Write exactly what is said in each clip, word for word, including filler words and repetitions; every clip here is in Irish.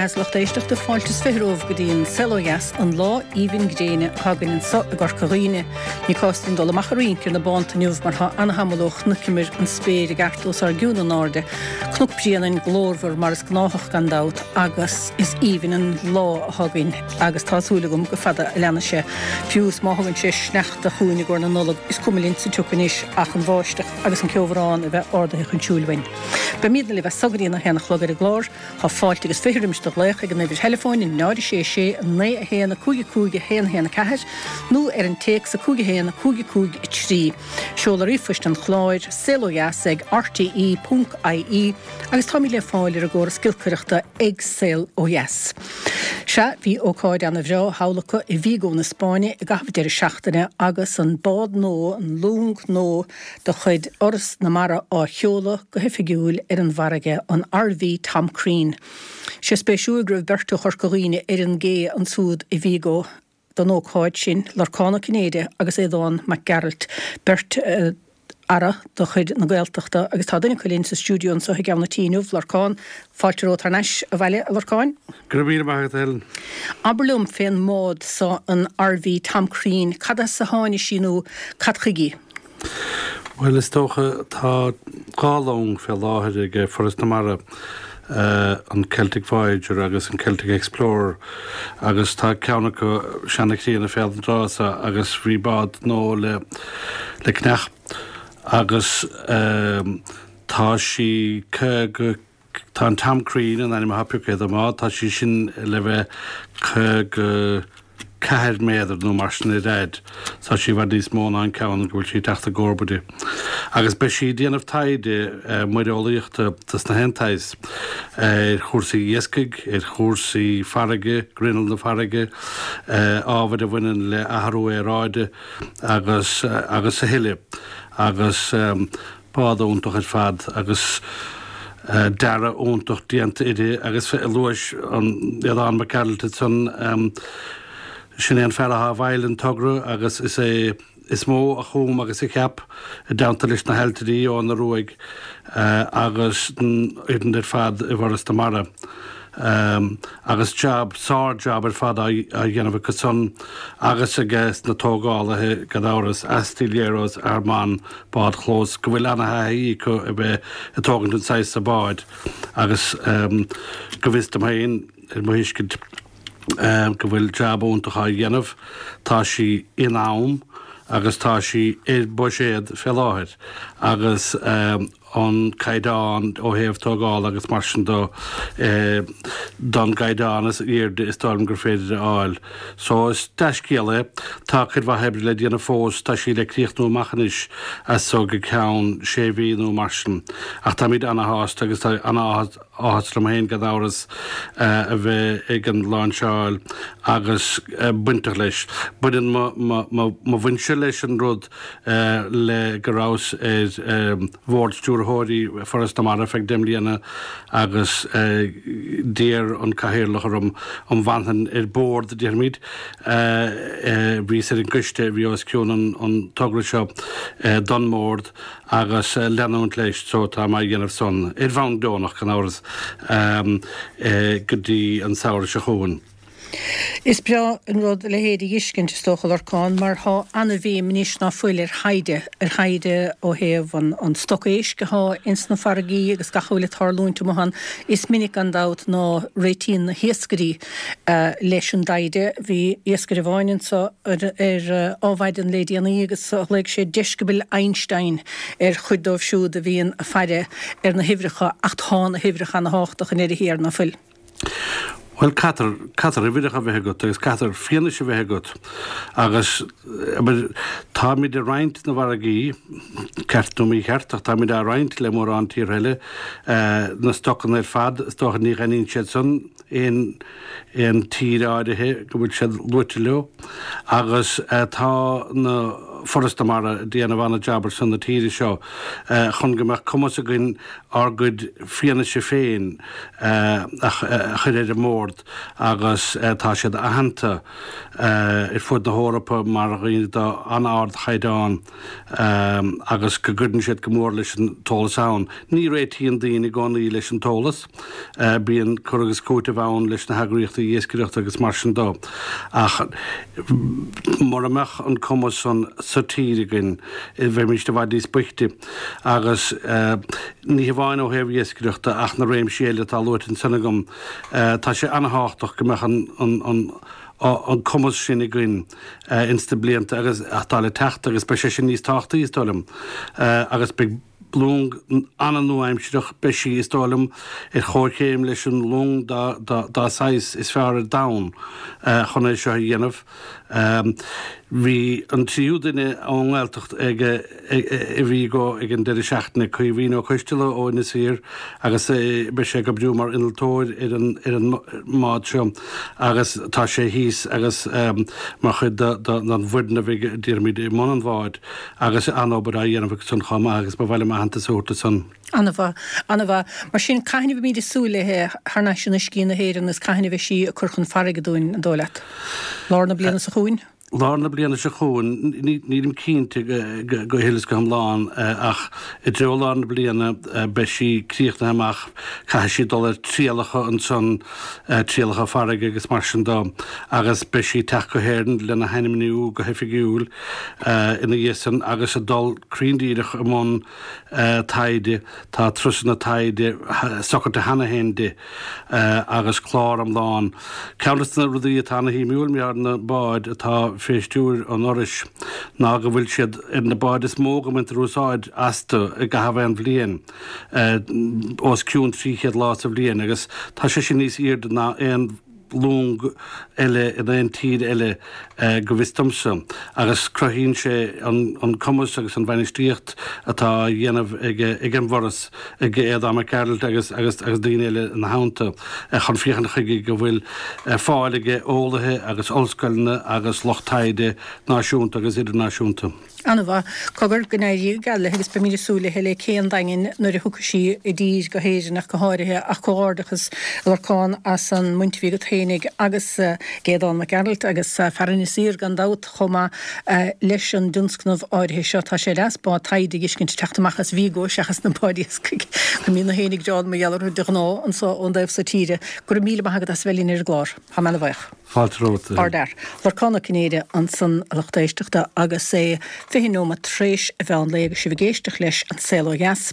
dheas, lucht éisteachta, fáilte is fiche romhaibh go dtí an Saol Ó Dheas, an lá aoibhinn gréine atá againn anseo i gCorca Dhuibhne. Ní cás dúinn dul amach a rince ar na bánta inniu mar tá ana-shamhail ó chnoic an spéir i gceart os ár gcionn in airde. Cnoc Bréanainn glórmhar mar is gnáthach gan dabht agus is aoibhinn an lá atá againn agus tá súil agam go fada a leanfaidh sé. Fiú is má thugann sé sneachta chugainn i gcomhair na Nollag is cuma linn sa tsioc anois ach an bháisteach agus an ceobhrán a bheith ardaithe chun siúil uainn. Beimidne libh as so go dtí a haon a chlog ar an gclár, tá fáilte agus fiche roimis do ghlaoch ag an uimhir theileafóin náid sé sé naoi a haon a cúig a cúig a haon haon a ceathair nó ar an téacs a cúig a haon a cúig a cúig a trí. Seoladh ríomhphoist an chláir saol ó dheas ag RTE ponc IE agus táimid le fáil ar an gcóras giolcaireachta ag Saol Ó Dheas. Sea, bhí ócáid ana-bhreá thall acu i Vigo na Spáinne i gcaitheamh deireadh seachtaine agus an bád nua, an long nua de chuid Fhoras na Mara á sheoladh go hoifigiúil ar an bhfarraige, an RV Tom Crean. Sé spéisiúil go raibh beirt ó Chorca Dhuibhne ar an gcé ansúd i Vigo don ócáid sin, Lorcán Ó Cinnéide agus Aodhán Mac Gearailt, beirt aire de chuid na Gaeltachta agus tá duine acu linn sa stiúideo anseo i gCeann na Tí inniu, Lorcán, fáilte romhat thar n-ais abhaile, a Lorcáin. Go raibh míle maith agat, a Helen. Abair liom fén mbád so, an RV Tom Crean, cad as a tháinig sí nó cad chuige í? Bhuel, is dócha, tá dhá long fé láthair ag Foras na Mara, an Celtic Voyager agus an Celtic Explorer, agus tá ceann acu seana-chríonna fé an dtráth so agus bhí bád nua le le ceannach agus tá sí caoga, tá an Tom Crean an ainm atá pioctha ar an mbád, tá sí sin le bheith caoga ceathair méadar nó mar sin ar fhad. Tá sí i bhfad níos mó ná an ceann go bhfuil sí ag teacht i gcomharba di. Agus beidh sí ag déanamh taighde muireolaíochta dos na haon tsaghas ar chúrsaí iascaigh, ar chúrsaí farraige, grinneall na farraige, ábhair a bhaineann le athrú aeráide agus agus a thuilleadh. Agus bád iontach ar fad agus dearadh iontach déanta uirthi agus luais an Aodhán Mac Gearailt ansan, sin é an fear atá i bhfeighil an togra agus is é is mó a chum agus a cheap i dteannta leis na hailtirí Eoghan Ó Ruairc agus an fhoireann ar fad i bhForas na Mara. Agus jab, sár-jab ar fad á dhéanamh acu san agus aige sna tógálaithe gan amhras, Astilleros Armon Bádchlós, go bhfuil ana-thaithí acu a bheith ag tógaint an saghas so báid agus go bhfios dom féin, ar mo thuiscint, go bhfuil jab iontach á dhéanamh. Tá sí in am agus tá sí ar buiséad fé láthair agus an caighdeán ó thaobh tógála agus mar sin de don gcaighdeán is airde is dóigh liom gur féidir a fháil. So is dea-scéal é. Tá cuid mhaith oibre le déanamh fós, tá sí le críochnú amach anois as so go ceann sé mhí nó mar sin. Ach táimid ana-shásta agus tá ana-áthas áthas orm féin gan amhras a bheith ag an láinseáil agus bainteach leis. Baineann mo bhaintse leis an rud le go rabhas ar Bhord Stiúrthóirí Foras na Mara feadh deich mbliana agus d'iarr an Cathaoirleach orm an bhfanfainn ar bord, déarfaimid. Bhíos ar an gcoiste a bhí os cionn an togra seo don mBord. agus leanúint leis so tá mé á dhéanamh san, ar bhonn deonach gan amhras, go dtí an samhradh seo chugainn. Is breá an rud a leithéid a dh'fheiscint, is dócha, Lorcán, mar thá ana-bhéim anois ná fuil ar thaighde, ar thaighde ó thaobh an an stoc éisc athá ins na farraigí agus gach a bhfuil ag tarlúint amuigh ann. Is minic gan dabht ná réitíonn na hiascairí leis an dtaighde. Bhí iascaire amháin anso ar Adhmhaidin le déanaí agus ghlaoigh sé deisceabail Einstein ar chuid dóibh siúd a bhíonn ag faire ar na huimhreacha ach tá na huimhreacha ana-thábhachtach i ndeireadh thiar, ná fuil? Bhuel, caithfear, caithfear uimhreacha a bheith agat agus caithfear fianaise a bheith agat agus, abair, táimid ag roinnt na bhfarraigí, ceart nó mícheart, ach táimid á roinnt le mórán tíortha eile, na stocanna ar fad, is dócha ní ghainníonn siad san aon, aon tír áirithe go bhfuil siad luaite leo agus tá na. Foras na Mara ag déanamh an-jab ar son na tíre seo chun go mbeadh cumas againn ár gcuid fianaise féin a chur ar an mbord agus tá siad aitheanta ar fud na hEorpa mar dhaoine d'an-ardchaighdeán agus go gcuireann siad go mór leis an t-eolas ann. Ní réitíonn daoine i gcónaí leis an t-eolas, bíonn cur agus cúiteamh ann leis na heagraíochtaí iascaireachta agus mar sin dó. Ach mura mbeadh an cumas san sa tír againn, bheimís i bhfad níos boichte. Agus ní hamháin ó thaobh iascaireachta ach na réimsí eile atá luaite ansan agam, tá sé an-thábhachtach go mbeadh an an cumas sin againn ins na blianta agus atá le teacht agus beidh sé sin níos tábhachtaí is dóigh liom agus beidh long an-nua-aimsireach, beidh sí, is dóigh liom, ar chomhchéim leis an long dá saghas is fearr ar domhan chun é seo a dhéanamh. Bhí an tríú duine ón nGaeltacht ag i Vigo ag an deireadh seachtaine, Caoimhín Ó Coisteala ó Inis Oírr agus beidh sé ag oibriú mar innealtóir ar an ar an mbád seo agus tá sé thíos agus mar chuid den bhfoireann a bheidh déarfaimid i mbun an bháid agus an-obair á dhéanamh acu san chomh maith agus ba mhaith liom aitheantas a thabhairt dó san. An-mhaith, an-mhaith. Mar sin, cathain a bheimid ag súil léi thar n-ais in uiscí na hÉireann is cathain a bheidh sí ag cur chun farraige dúinn, an dóigh leat? Lár na bliana seo chugainn? Lár na bliana seo chugainn, nílim cinnte go huile is go hiomlán ach i dtreo lár na bliana beidh sí críochnaithe amach, caithfidh sí dul ar trialacha ansan, trialacha farraige agus mar sin dó agus beidh sí ag teacht go hÉirinn lena hainmniú go hoifigiúil ina dhiaidh san agus ag dul cruinn díreach i mbun taighde. Tá turasanna taighde socraithe cheana féin di agus clár iomlán. Ceann de na rudaí atá ana-shuimiúil mar na báid atá fé stiúir an Fhorais ná go bhfuil siad ar na báid is mó go mbaintear úsáid astu i gcaitheamh aon bhliain, os cionn trí chéad lá sa bhliain, agus tá sé sin níos airde ná aon long eile in aon tír eile go bhfios domsa, agus cruthaíonn sé an cumas agus an bhainistíocht atá á dhéanamh ag an bhForas, ag Aodán Mac Gearailt agus agus daoine eile ina theannta, chun féachaint chuige go bhfuil fáil ag eolaithe agus ollscoileanna agus lucht taighde náisiúnta agus idirnáisiúnta. An-mhaith. Cogar, go n-éirí go geal léi agus beimid ag súil léi le Cé an Daingin nuair a thiocfaidh sí i dtír go hÉirinn ach go háirithe ach comhghairdeachas a Lorcáin as an mbaint a bhí agat féinig agus ag Aodán Mac Gearailt agus fear Inis Oírr gan dabht chomh maith leis an dtionscnamh áirithe seo. Tá sé deas bád taighde a fheiscint ag teacht amach as Vigo seachas na báid iascaigh go mbíonn na héin ag gearán mar gheall orthu de ghnáth anso ón dtaobh so tíre. Go raibh míle maith agat as a bheith linn ar an gclár. Tá mé ana-bhuíoch. Fáilte romhat. Ardfhear. Lorcán Ó Cinnéide ansan a lucht éisteachta agus é fiche nóiméad tréis an mheán lae agus sibh ag éisteacht leis An Saol Ó Dheas.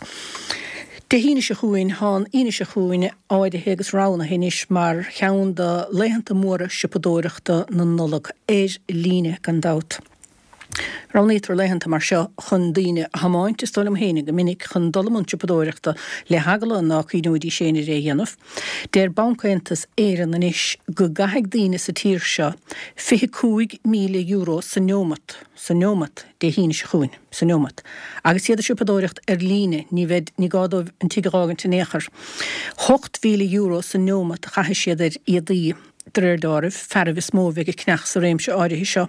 Dé hAoine seo chugainn, tá an Aoine seo chugainn áirithe agus roghnaithe anois mar cheann de laethanta móra siopadóireachta na Nollag, ar líne gan dabht. Roghnaítear laethanta mar seo chun daoine a thiomáint, is dóigh liom féinig, go minic chun dul i mbun siopadóireachta le heagla ná cuimhneoidís féin ar é a dhéanamh. Deir Banc Aontas Éireann anois go gcaithfidh daoine sa tír seo fiche cúig míle euro sa neomat, sa neomat, Dé hAoine seo chugainn, sa neomat. Agus iad ag siopadóireacht ar líne, ní bheidh, ní gá dóibh an tigh a dh'fhágaint in aon chor. Hocht mhíle euro sa neomat a chaithfidh siad ar éadaí. De réir deáraimh, fearaibh is mó a bheidh ag ceannach sa réimse áirithe seo.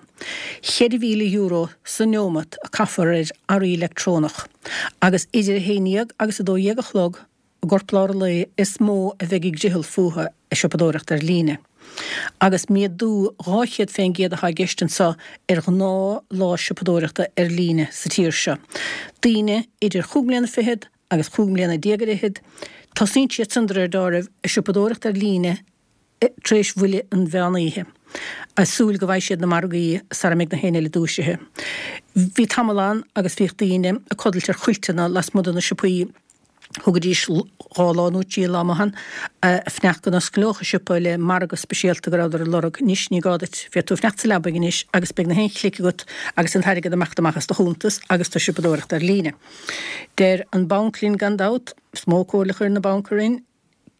Cheithre mhíle euro sa neomat a caithfear ar earraí leictreonach, agus idir a haon dhéag agus a dó dhéag a chlog i gcorplár an lae is mó a bheidh ag driothall fúthu ag siopadóireacht ar líne. Agus méadú dhá chéad fén gcéad atá i gceist anseo ar ghnáth lá siopadóireachta ar líne sa tír seo. Daoine idir chúig mbliana fichead agus chúig mbliana déag ar fhichead, tosaíonn siad san de réir deáraimh ag siopadóireacht ar líne tar éis bhuille an mheán oíche, ag súil go bhfaighidh siad na margaí sara mbeidh na héinne eile dúisithe. Bhí tamall ann agus bhíodh daoine ag codlait ar chuilteanna lasmuigh de na siopaí. Thugaidís dhá lá nó trí lá amuigh ann ag fanacht go n-osclódh an siopa le margadh speisialta go rabhadar ag lorg. Anois ní gá duit, féadfaidh tú fanacht sa leabaidh anois agus beidh na haon chlic agat agus an t-airgead ag imeacht amach as do chuntas agus tú ag siopadóireacht ar líne. Deir an banc linn gan dabht, is mó comhairle a chuireann an banc orainn,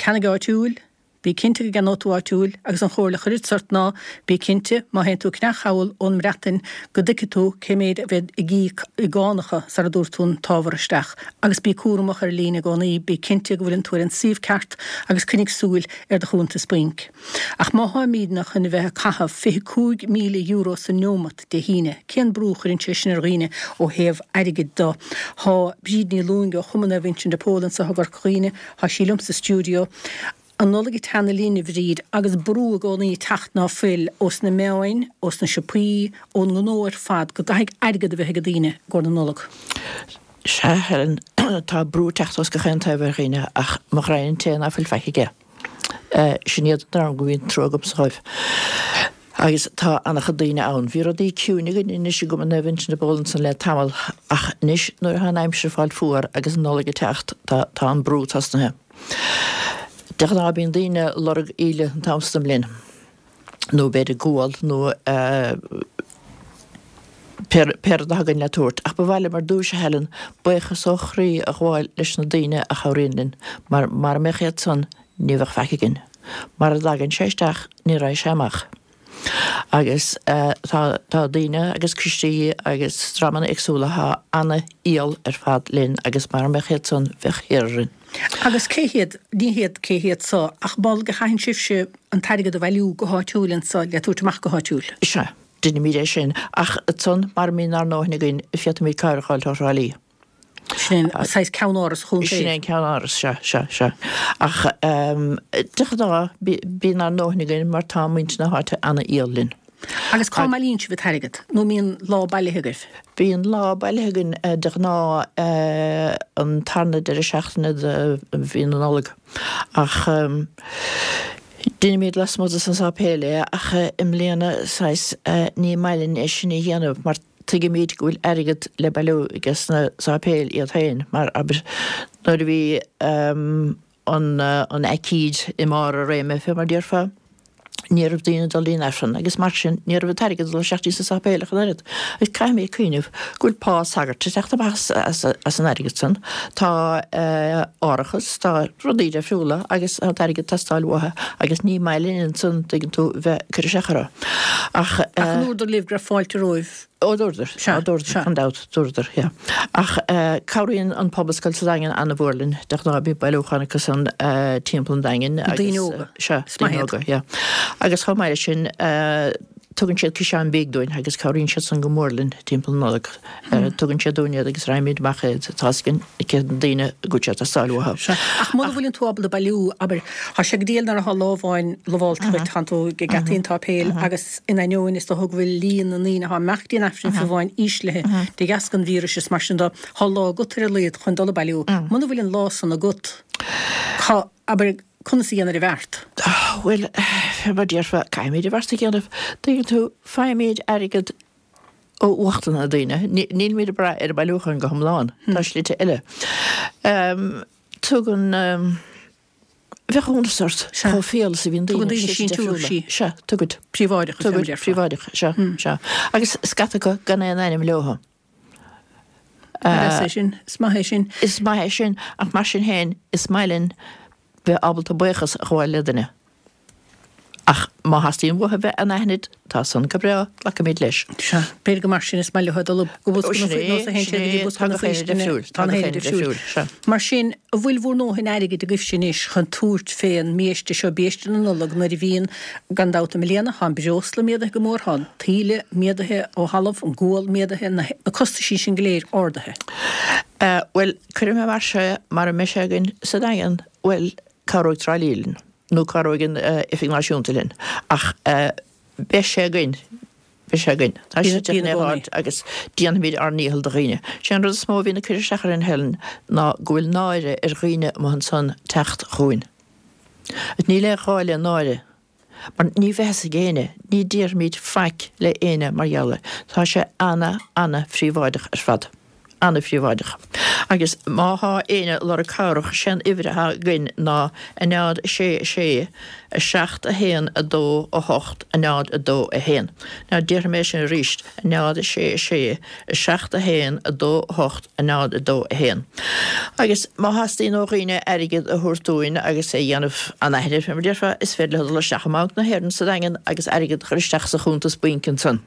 ceannaigh áitiúil, Bí cinnte go gceannóidh tú áitiúil agus an chomhairle a chuirfeadsa ort ná bí cinnte má théann tú ag ceannach thall ón mBreatain go dtuigfidh tú cé méid a bheidh ag íoc i gcánacha sara dtabharfaidh tú an t-ábhar isteach. Agus bí cúramach ar líne i gcónaí, bí cinnte go bhfuileann tú ar an suíomh ceart agus coinnigh súil ar do chuntas bainc. Ach má tháimidne chun a bheith ag caitheamh fiche cúig míle euro sa neomat Dé hAoine, cén brú a chuireann sé sin ar dhaoine ó thaobh airgid de? Tá Bríd Ní Lúing ó Chumann Naomh Uinseann de Pól anseo i gCorca Dhuibhne, tá sí liom sa stiúideo. An Nollaig ag teannadh linn, a Bhríd, agus brú i gcónaí ag teacht ná fuil ós na meáin, ós na siopaí, ón ngnó ar fad go gcaithfidh airgead a bheith ag daoine i gcomhair na Nollag. Sea, Helen, tá brú ag teacht os gach aon taobh ar dhaoine ach mo ghraidhin an té ná fuil faic aige. Sin iad an dream go mbíonn trua agamsa dhóibh. Agus tá an-chuid daoine ann. Bhí rudaí ciúin againn anois i gCumann Naomh Uinseann de Pól ansan le tamall ach anois nuair atá an aimsir ag fáil fuar agus an Nollaig ag teacht tá tá an brú tosnaithe. De ghnáth bíonn daoine ag lorg íle an t-am san den mbliain nó b'fhéidir gual nó pé pé rud atá againn le tabhairt. Ach ba mhaith liom ar dtúis, a Helen, buíochas ó chroí a ghabháil leis na daoine a chabhraíonn linn mar mara mbeadh iad san ní bheadh faic againn. Mar a dtagann sé isteach ní raghaidh sé amach. Agus tá tá daoine agus coistí agus dreamanna éagsúla atá ana-fhial ar fad linn agus mara mbeadh iad san bheadh thiar orainn. Agus cé hiad, ní hiad cé hiad so, ach ball go chaitheann sibhse an t-airgead a bhailiú go háitiúil anso le tabhairt amach go háitiúil? Sea, deinimid é sin. Ach ansan mara mbíonn ár ndóthain againn féadfaimid cabhair a fháil ó Thrá Lí. Sin é an saghas ceannáras chontae. Sin é an ceannáras, sea, sea, sea. Ach de ghnáth, bíonn ár ndóthain againn mar tá muintir na háite ana-fhial linn. Agus cá mbailíonn sibh an t-airgead? Nó an mbíonn lá bailithe agaibh? Bíonn lá bailithe againn de ghnáth an tarna deireadh seachtaine de mhí na Nollag. Ach deinimid lasmuigh de san sáipéal é ach i mbliana saghas ní maith linn é sin a dhéanamh mar Tuigimid go bhfuil airgead le bailiú aige sna sáipéil iad féin, mar, abair, nuair a bhí an aicíd i mbarr a réime, fé mar déarfá, ní raibh daoine ag dul dtí'n Aifreann agus mar sin ní raibh an t-airgead ag dul isteach dtí sna sáipéil ach an oiread. Agus caithfimid cuimhneamh go bhfuil pá sagairt ag teacht amach as an airgead san, tá árachas, tá rudaí difriúla agus tá an t-airgead ag teastáil uathu agus ní maith linn ansan, tuigeann tú, bheith ag cur isteach orthu. Ach. Ach an ndúradar libh go raibh fáilte romhaibh? Ó dúradar, sea, dúradar, gan dabht, dúradar, yeah. Ach cabhraíonn an Pobalscoil sa Daingean an-mhór linn, de ghnáth bíonn bailiúchán acu san timpeall an Daingin agus. Daoine óga. Sea, daoine óga, yeah. Agus chomh maith leis sin, tugann siad ciseáin bídh dúinn agus cabhraíonn siad san go mór linn timpeall na Nollag. Tugann siad dúinn iad agus roinnimid amach iad, tá's againn cé na daoine go bhfuil sé ag teastáil uathu. Sea, ach muna bhfuileann tú ábalta bailiú, abair, tá sé go diail nuair atá lá amháin lamhálta duit, tánn tú ag geataí an tsáipéil agus in ainneoin is dócha go bhfuil líon na ndaoine atá ag imeacht dtí an Aifreann fiú amháin íslithe de dheasca an víris is mar sin de, tá lá agat ar a laghad chun dul ag bailiú. Muna bhfuil an lá san agat, cá, abair, conas a dhéanfair an bheart? Bhuel, fé mar déarfá, caithfimid an bheart a dhéanamh. Tuigeann tú, faighimid airgead ó uachta na daoine. Nílimid ag brath ar an bailiúchán go hiomlán. Tá slite eile. Tugann. Bheadh iontas ort chomh fial is a bhíonn daoine. Tugann daoine síntiúisí. Sea, tugaid. Príobháideach, Tugaid, príobháideach, sea, sea. Agus scata acu gan aon ainm leo. Is é sin, is maith é sin. Is maith é sin, ach mar sin féin, is maith linn bheith ábalta buíochas a ghabháil le duine. Ach má theastaíonn uathu bheith anaithnid, tá san go breá, glacfaimid leis. Sea, b'fhéidir gur mar sin is maith leo dul go bosca na Sin é, nós a théann sin siad go dtí é, bosca tá na gach éinne faoistine, difriúil, tá tá na gach héinne éinne difriúil. difriúil, sea. Mar sin, an bhfuil bhur ndóthain airgid agaibhse anois chun tabhairt fén mbiaiste seo, biaiste na Nollag, nuair a bhíonn, gan dabht, i mbliana, tá an breosla méadaithe go mór, tá an taoille méadaithe ó thalamh, an gual méadaithe, na na costaisí sin go léir ardaithe. Bhuel, cuirfidh mé mar seo, mara mbeidh sé againn sa Daingean, bhuel, cabhróidh Trá Lí linn. nó cabhróidh an Oifig Náisiúnta linn, ach beidh sé againn, beidh sé againn. Tá sé in aon áit agus déanfaimid ár ndícheall do dhaoine. Sé an rud is mó a bhíonn ag cur isteach orainn, Helen, ná go bhfuil náire ar dhaoine amuigh ansan teacht chugainn. Níl aon ghá le náire, mar ní bheidh fhios ag éinne, ní déarfaimid faic le éinne mar gheall air. Tá sé ana, ana-phríobháideach ar fad. Ana-phríobháideach. Agus má thá éinne ag lorg cabhrach, sé'n uimhir athá againn ná a náid a sé a sé a seacht a haon a dó a hocht a náid a dó a haon. Now déarfaidh mé sin arís, a náid a sé a sé a seacht a haon a dó a hocht a náid a dó a haon. Agus má theastaíonn ó dhaoine airgead a thabhairt dúinn agus é a dhéanamh anaithnid, fé mar a déarfá, is féidir leo dul isteach i mBanc na hÉireann sa Daingean agus airgead a chur isteach sa chuntas bainc ansan.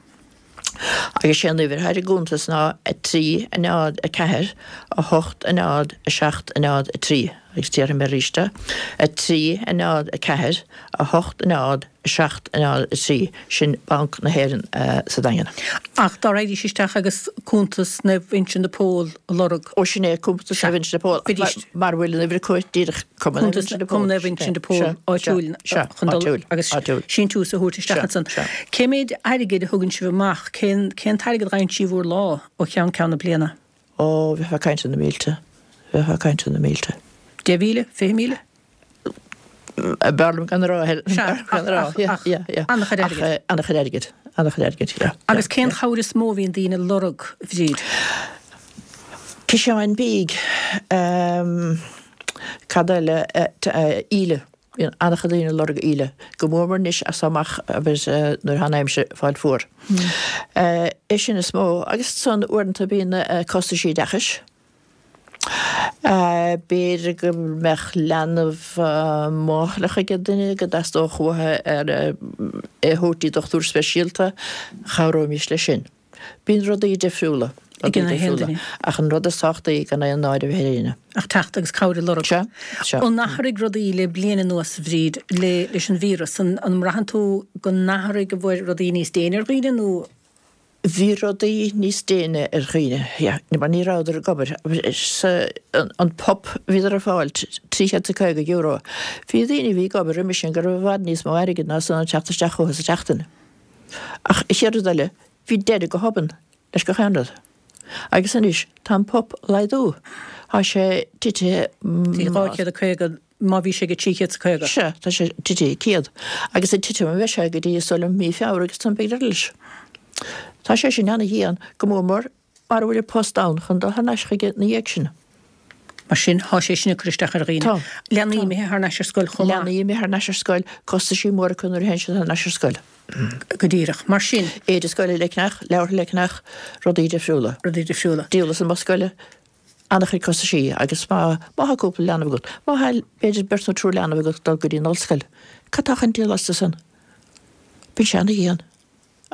Agus sé an uimhir atá ar an gcuntas ná a trí, a náid, a ceathair, a hocht, a náid, a seacht, a náid, a trí. Agus déarfaidh mé arís é, a trí, a náid, a ceathair, a hocht, a náid, a seacht, a náid, a trí. Sin Banc na hÉireann sa Daingean. Ach dá raghaidís isteach agus cuntas Naomh Uinseann de Pól a lorg. Ó sin é, cuntas Naomh Uinseann de Pól. Mar a bhfuil an uimhir acu díreach Cumann Naomh Uinseann de Pól. Cumann Naomh Uinseann de Pól áitiúil chun dul agus síntiús a thabhairt isteach ansan. Cé méid airgid a thugann sibh amach? Cén cén t-airgead a fhaigheann sibh bhur lá ó cheann ceann na bliana? Ó, bheifeá ag caint ar na mílte. Bheifeá ag caint ar na mílte. Deich mhíle? Fiche míle? B'fhearr liom gan a rá. Sea, ach, ach, an-chuid airgid. An-chuid airgid. An-chuid airgid, yeah. Agus cén chabhair is mó a bhíonn daoine ag lorg, a Bhríd? Ciseáin bídh. Cad eile? Íle. Bíonn an-chuid daoine ag lorg íle. Go mór mór anois as seo amach agus nuair atá an aimsir ag fáil fuar. É sin is mó. Agus ansan uaireanta bíonn costaisí oideachais. B'fhéidir go mbeadh leanbh máithreach ag duine go dteastódh uathu é a thabhairt dtí dochtúir speisialta, chabhróimis leis sin. Bíonn rudaí difriúla, rudaí difriúla, ach an rud is tábhachtaí gan aon náire a bheith ar éinne. Ach teacht agus cabhair a lorg. Sea, sea. An athraigh rudaí le bliain anuas, a Bhríd, le leis an víreas? An mbraitheann tú go n-athraigh, an bhfuil rudaí níos déine ar dhaoine nó? Bhí rudaí níos déine ar dhaoine, yeah, mar ní rabhadar ag obair. An PUP, bhíodar ag fáil trí chéad is a caoga euro. Bhí daoine a bhí ag obair roimis sin go raibh i bhfad níos mó airgid ná san ag teacht isteach chucu sa tseachtain. Ach an chéad rud eile, bhí deireadh go hobann leis gach aon rud. Agus anois, tá an PUP ag laghdú. Tá sé titithe. Trí dhá chéad a caoga má bhí sé ag trí chéad is a caoga. Sea, tá sé titithe céad. Agus ag titim a bheidh sé go dtí is dóigh liom mí Feabhra agus ansan beidh deireadh leis. Tá sé sin ana-dhian, go mór mór mara bhfuil an post ann chun dul thar n-ais chuige ina dhiaidh sin. Mar sin, tá sé sin ag cur isteach ar dhaoine. Tá. Leanaí imithe thar n-ais ar scoil chomh maith. Leanaí imithe thar n-ais ar scoil, costaisí móra acu nuair a théann siad thar n-ais ar scoil. Go díreach. Mar sin. Éide scoile le ceannach, leabhartha le ceannach, rudaí difriúla. Rudaí difriúla. Dioltas amuigh scoile. An-chuid costaisí agus má má thá cúpla leanbh agat, má thá b'fhéidir beirt nó triúr leanbh agat ag dul go dtí an ollscoil, cad tá chun díol astu san? Bíonn sé ana-dhian.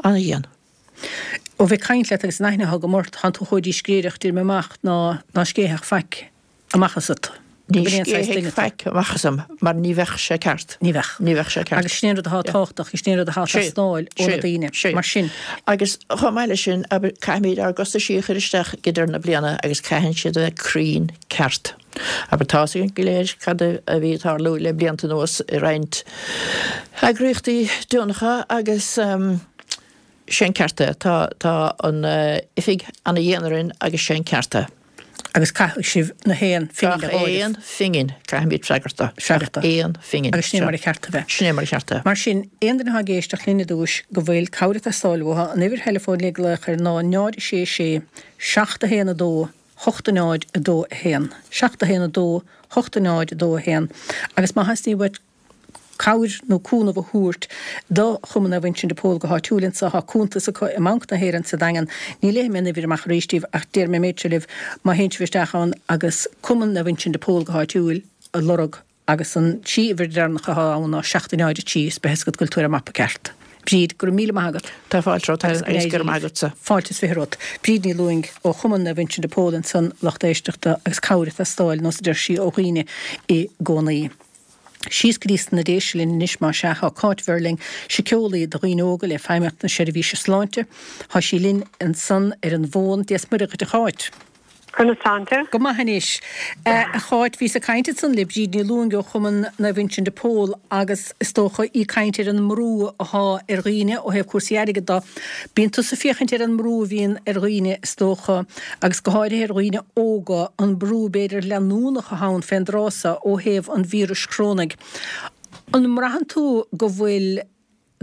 Ana-dhian. Ó bheith ag caint leat agus an aithne atá agam ort, tánn tú chomh díscréireach, déarfaidh mé amach, ná ná scéithfeadh faic amach asat. Ní scéithfeadh faic amach asam mar ní bheadh sé ceart. Ní bheadh. Ní bheadh sé ceart. Agus sin é an rud atá tábhachtach, sin é an rud atá ag teastáil ó na daoine. Mar sin. Agus chomh maith leis sin, abair, caithfimid ár gcostaisí a chur isteach ag deireadh na bliana agus caitheann siad a bheith cruinn ceart. Abair, tá's againn go léir cad a bhí ag tarlú le blianta anuas i roinnt eagraíochtaí deonacha agus sé an ceart é. Tá, tá an oifig ana-dhian orainn agus sé an ceart é. Agus caithfidh sibh na haon phingin a áireamh. Gach aon phingin, caithfimid freagairt dó. Freagairt dó. Aon phingin. Agus sin é mar a cheart a bheith. Sin é mar a cheart a bheith. Mar sin, aon duine atá ag éisteacht linn ar dtúis go bhfuil cabhair ag teastáil uathu, an uimhir theileafóin le glaoch air ná náid a sé sé, seacht a haon a dó, hocht a náid a dó a haon. Seacht a haon a dó, hocht a náid a dó a haon. Agus má theastaíonn uait cabhair nó cúnamh a thabhairt do Chumann Naomh Uinseann de Pól go háitiúil anseo. Tá cuntas acu i mBanc na hÉireann sa Daingean. Ní léifidh mé an uimhir amach arís daoibh ach déarfaidh mé an méid seo libh, má théann sibh isteach ann agus Cumann Naomh Uinseann de Pól go háitiúil a lorg agus an trí uimhir dheireanacha atá ann ná seacht a náid a trí is beidh a fhios agat go bhfuil tú ar an mapa ceart. Bríd, go raibh míle maith agat. Tá fáilte romhat agus go raibh maith agatsa. Fáilte is fiche romhat. Bríd Ní Lúing ó Chumann Naomh Uinseann de Pól ansan, lucht éisteachta agus cabhair ag teastáil, nós a deir sí, ó dhaoine i gcónaí. Síos go dtí sna Déise linn anois más ea. Tá Cáit Verling, síceolaí do dhaoine óga le Feidhmeannacht na Seirbhíse Sláinte. Tá sí linn ansan ar an bhfón. Dia 's Muire dhuit a Cháit. Conas tánn tú? Go maith anois. A Cháit, bhíos ag caint ansan le Bríd Ní Lúing ó Chumann Naomh Uinseann de Pól agus is dócha í ag caint ar an mbrú athá ar dhaoine ó thaobh cúrsaí airgid do. Bíonn tusa ag féachaint ar an mbrú a bhíonn ar dhaoine is dócha agus go háirithe ar dhaoine óga, an brú b'fhéidir leanúnach atá ann fén dtráth so ó thaobh an víris chorónaigh. An mbraitheann tú go bhfuil,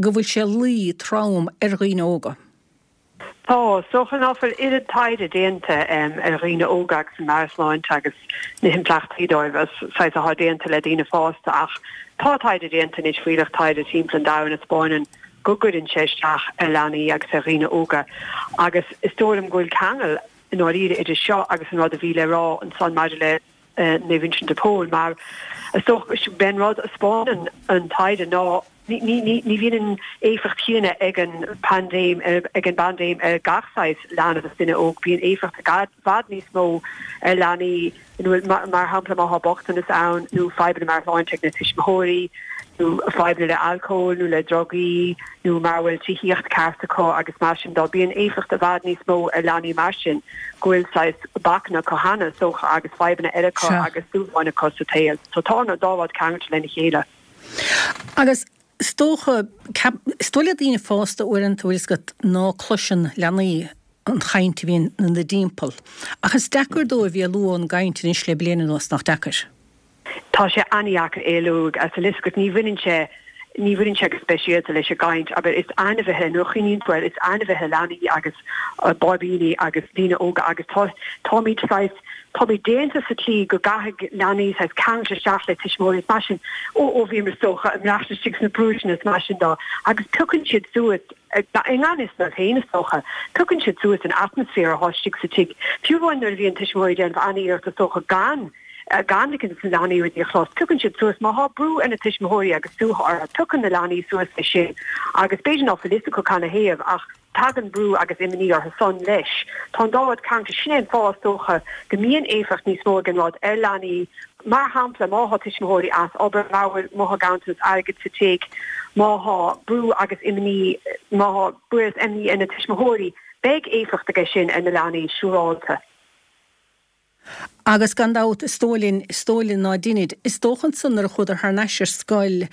go bhfuil sé ag luí trom ar dhaoine óga? Tá, is dócha ná fuil oiread taighde déanta ar dhaoine óga agus an meabhairshláinte agus na himpleachtaí dóibh is saghas atá déanta le daoine fásta ach tá taighde déanta anois fuílleach taighde timpeall an domhain a 'spáineann go gcuireann sé isteach ar leanaí agus ar dhaoine óga agus is dóigh liom go bhfuil ceangal i ndáiríre idir seo agus an rud a bhí le rá ansan maidir le Naomh Uinseann de Pól mar is dócha b'é an rud a 'spáineann an taighde ná Ní bhíonn an éifeacht chéanna ag an bpaindéim ag an bpaindéim ar gach saghas leanbh is duine óg. Bíonn éifeacht i bhfad níos mó ar leanaí ina bhfuil, mar shampla, má tá bochtanas ann nó fadhbanna meabhairshláinte ag na tuismitheoirí nó fadhbanna le alcól nó le drugaí nó mara bhfuil tithíocht ceart acu agus mar sin de. Bíonn éifeacht i bhfad níos mó ar leanaí mar sin go bhfuil saghas bacanna acu cheana, is dócha, agus fadhbanna eile acu agus dúshláin acu sa tsaol. So tá an dá rud ceangailte lena chéile. Agus is dócha, is dóigh le daoine fásta uaireanta, bhfuil fhios agat, ná cloiseann leanaí an chaint a bhíonn ina dtimpeall. Ach is deacair dóibh éalú ón gcaint anois le bliain anuas, nach deacair? Tá sé an-dheacair éalú as, bhfuil fhios agat, ní bhaineann sé, ní bhaineann sé go speisialta leis an gcaint, abair, is ainmhithe, nuair a chuimhníonn tú air, is ainmhithe leanaí agus báibíní agus daoine óga agus tá, táimid saghas, Táimid déanta sa tslí go gcaithfidh leanaí saghas ceangal isteach le tuismitheoirí is mar sin ó ó bhíomar is dócha ag maireachtáil istigh sna brúiseanna is mar sin de agus piocann siad suas i ngan fhios dóibh féin is dócha, piocann siad suas an atmaisféar atá istigh sa tigh. Fiú amháin nuair a bhíonn tuismitheoirí ag déanamh an-iarracht is dócha gan gan ligean dos na leanaí rudaí a chlos, piocann siad suas má thá brú ar na tuismitheoirí agus suaitheadh orthu, piocann na leanaí suas é sin agus b'fhéidir ná fuil fhios acu canathaobh ach Tagann brú agus imní orthu san leis. Tá an dá rud ceangailte. Sin é an fáth, is dócha, go mbíonn éifeacht níos mó ag an rud ar leanaí. Mar shampla, má thá tuismitheoirí as obair, má bhfuil, má thá ganntanas airgid sa tigh, má thá brú agus imní, má thá brú agus imní ar na tuismitheoirí, beidh éifeacht aige sin ar na leanaí, siúrálta. Agus gan dabht, is dóigh linn, is dóigh linn ná deinid. Is dócha ansan nuair a chuadar thar n-ais ar scoil,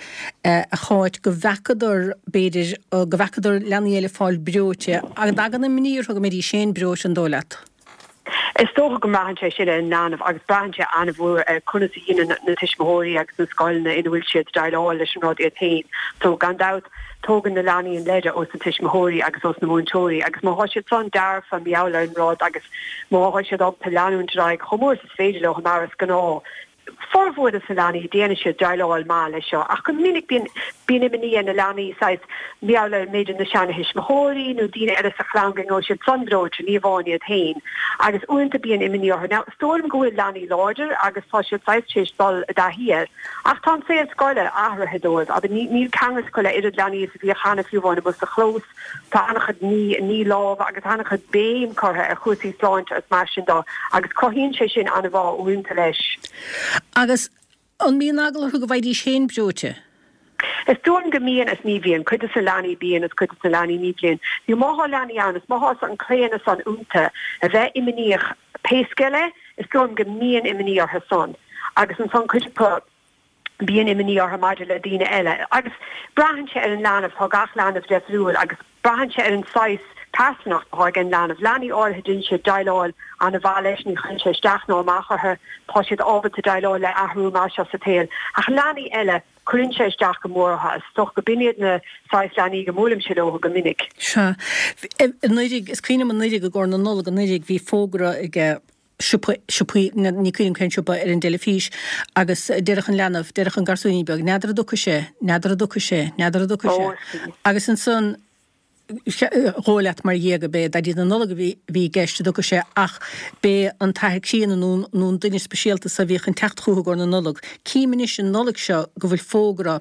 a Cháit, go bhfeacadar, b'fhéidir, go bhfeacadar leanaí eile fáil breoite. An dtagann imní orthu go mbeidís féin breoite, an dóigh leat? Is dócha go mbraitheann sé sin ar an leanbh agus braitheann sé an-mhór ar conas a dhéanann na tuismitheoirí agus na scoileanna ina bhfuil siad déileáil leis an rud iad féin. So, gan dabht, Tógann na leanaí an leide ós na tuismitheoirí agus ós na múinteoirí agus má thá siad san dearfa mar gheall ar an rud agus má thá siad ábalta leanúint ar aghaidh chomh mór is is féidir leo mar is gnáth, formhór des na leanaí déanann siad déileáil maith leis seo ach go minic bíonn bíonn imní ar na leanaí saghas mar gheall ar b'fhéidir na seana-thuismitheoirí nó daoine eile sa chlann go mbeidh siad san breoite ní amháin iad féin agus uaireanta bíonn imní orthu. Now is dóigh liom go bhfuil leanaí láidir agus tá siad saghas tar éis dul i dtaithí air Ach tá an saol scoile athraithe dóibh, abair, níl ceangal acu le oiread leanaí is a bhíodh cheana, fiú amháin amuigh sa chlós. Tá an-chuid ní, ní lámha agus an-chuid béim curtha ar chúrsaí sláinte agus mar sin de agus cruthaíonn sé sin an-bhá uaireanta leis. Agus an mbíonn eagla orthu go bhfaighidís féin breoite? Is dóigh liom go mbíonn is ní bhíonn. Cuid de na leanaí bíonn is cuid de na leanaí ní bhíonn. Nó má thá leanaí ann is má thá an claonadh san iontu a bheith imníoch pé scéal é, is dóigh liom go mbíonn imní orthu san. Agus ansan cuid acu bíonn imní orthu maidir le daoine eile. Agus braitheann sé ar an leanbh, tá gach leanbh deifriúil agus braitheann sé ar an saghas pearsanacht atá ag an leanbh. Leanaí áirithe déanann siad déileáil an-mhaith leis, ní chuireann sé isteach ná amach orthu, tá siad ábalta déileáil le athrú mar seo sa tsaol. Ach leanaí eile, cuireann sé isteach go mór orthu. Is dócha go b'in iad na saghas leanaí go mbuailimse leo go minic. Sea. Anuraidh, is cuimhin liom anuraidh i gcomhair na Nollag anuraidh, bhí fógra ag siopa, siopaí, ní cuimhin liom cén siopa, ar an dteilifís agus déarfadh an leanbh, déarfadh an garsúinín beag, n'fheadar an dtiocfaidh sé, n'fheadar an dtiocfaidh sé, n'fheadar an dtiocfaidh sé. Agus ansan, dhóigh leat mar dhea go b'é Daidí na Nollag a bhí i gceist an dtiocfaidh sé ach b'é an t-athair críonna nó nó an duine speisialta so a bhíodh chun teacht chucu i gcomhair na Nollag. Cím anois an Nollaig seo go bhfuil fógra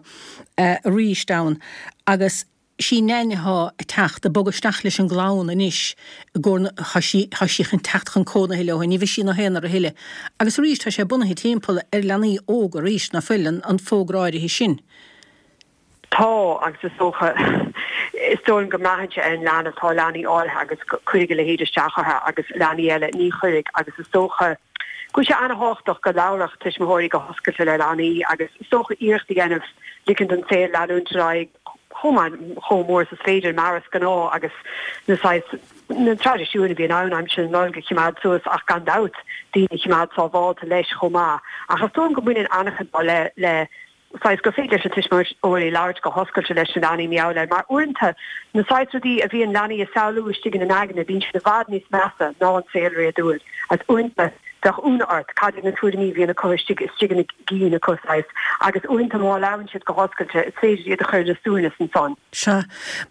arís ann agus sí Neain athá ag teacht, ag bogadh isteach leis an gclann anois i gcomhair na, thá sí, thá sí chun teacht chun cónaithe leo, ní bheidh sí ina haonar a thuilleadh. Agus arís tá sé bunaithe timpeall ar leanaí óga arís, ná fuil, an, an fógra áirithe sin. Tá, agus is dócha, is dóigh liom go mbraitheann sé ar an leanbh, tá leanaí áirithe agus cuirfidh a leithéid isteach orthu agus leanaí eile ní chuirfidh agus is dócha go bhfuil sé an-thábhachtach go labhródh tuismitheoirí go hoscailte le leanaí agus is dócha iarracht a dhéanamh ligean don saol leanúint ar aghaidh chomh maith, chomh mór is is féidir mar is gnáth agus na saghas, na traidisiúin a bhíonn ann aimsir na Nollag a choimeád suas ach gan dabht daoine a choimeád sábhálta leis chomh maith ach is dóigh liom go mbaineann an-chuid le, le. saghas gur féidir leis na tuismitheoirí labhairt go hoscailte leis na leanaí mar gheall air, mar uaireanta na saghas rudaí a bhíonn leanaí ag samhlú istigh ina n-aigne, bíonn siad i bhfad níos measa ná an saol réadúil. Agus uaireanta bheadh ionadh ort cad iad na tuairimí a bhíonn acu istigh istigh ina gcinn acu saghas, agus uaireanta má labhrann siad go hoscailte is féidir iad a chur ina suaimhneas ansan. Sea.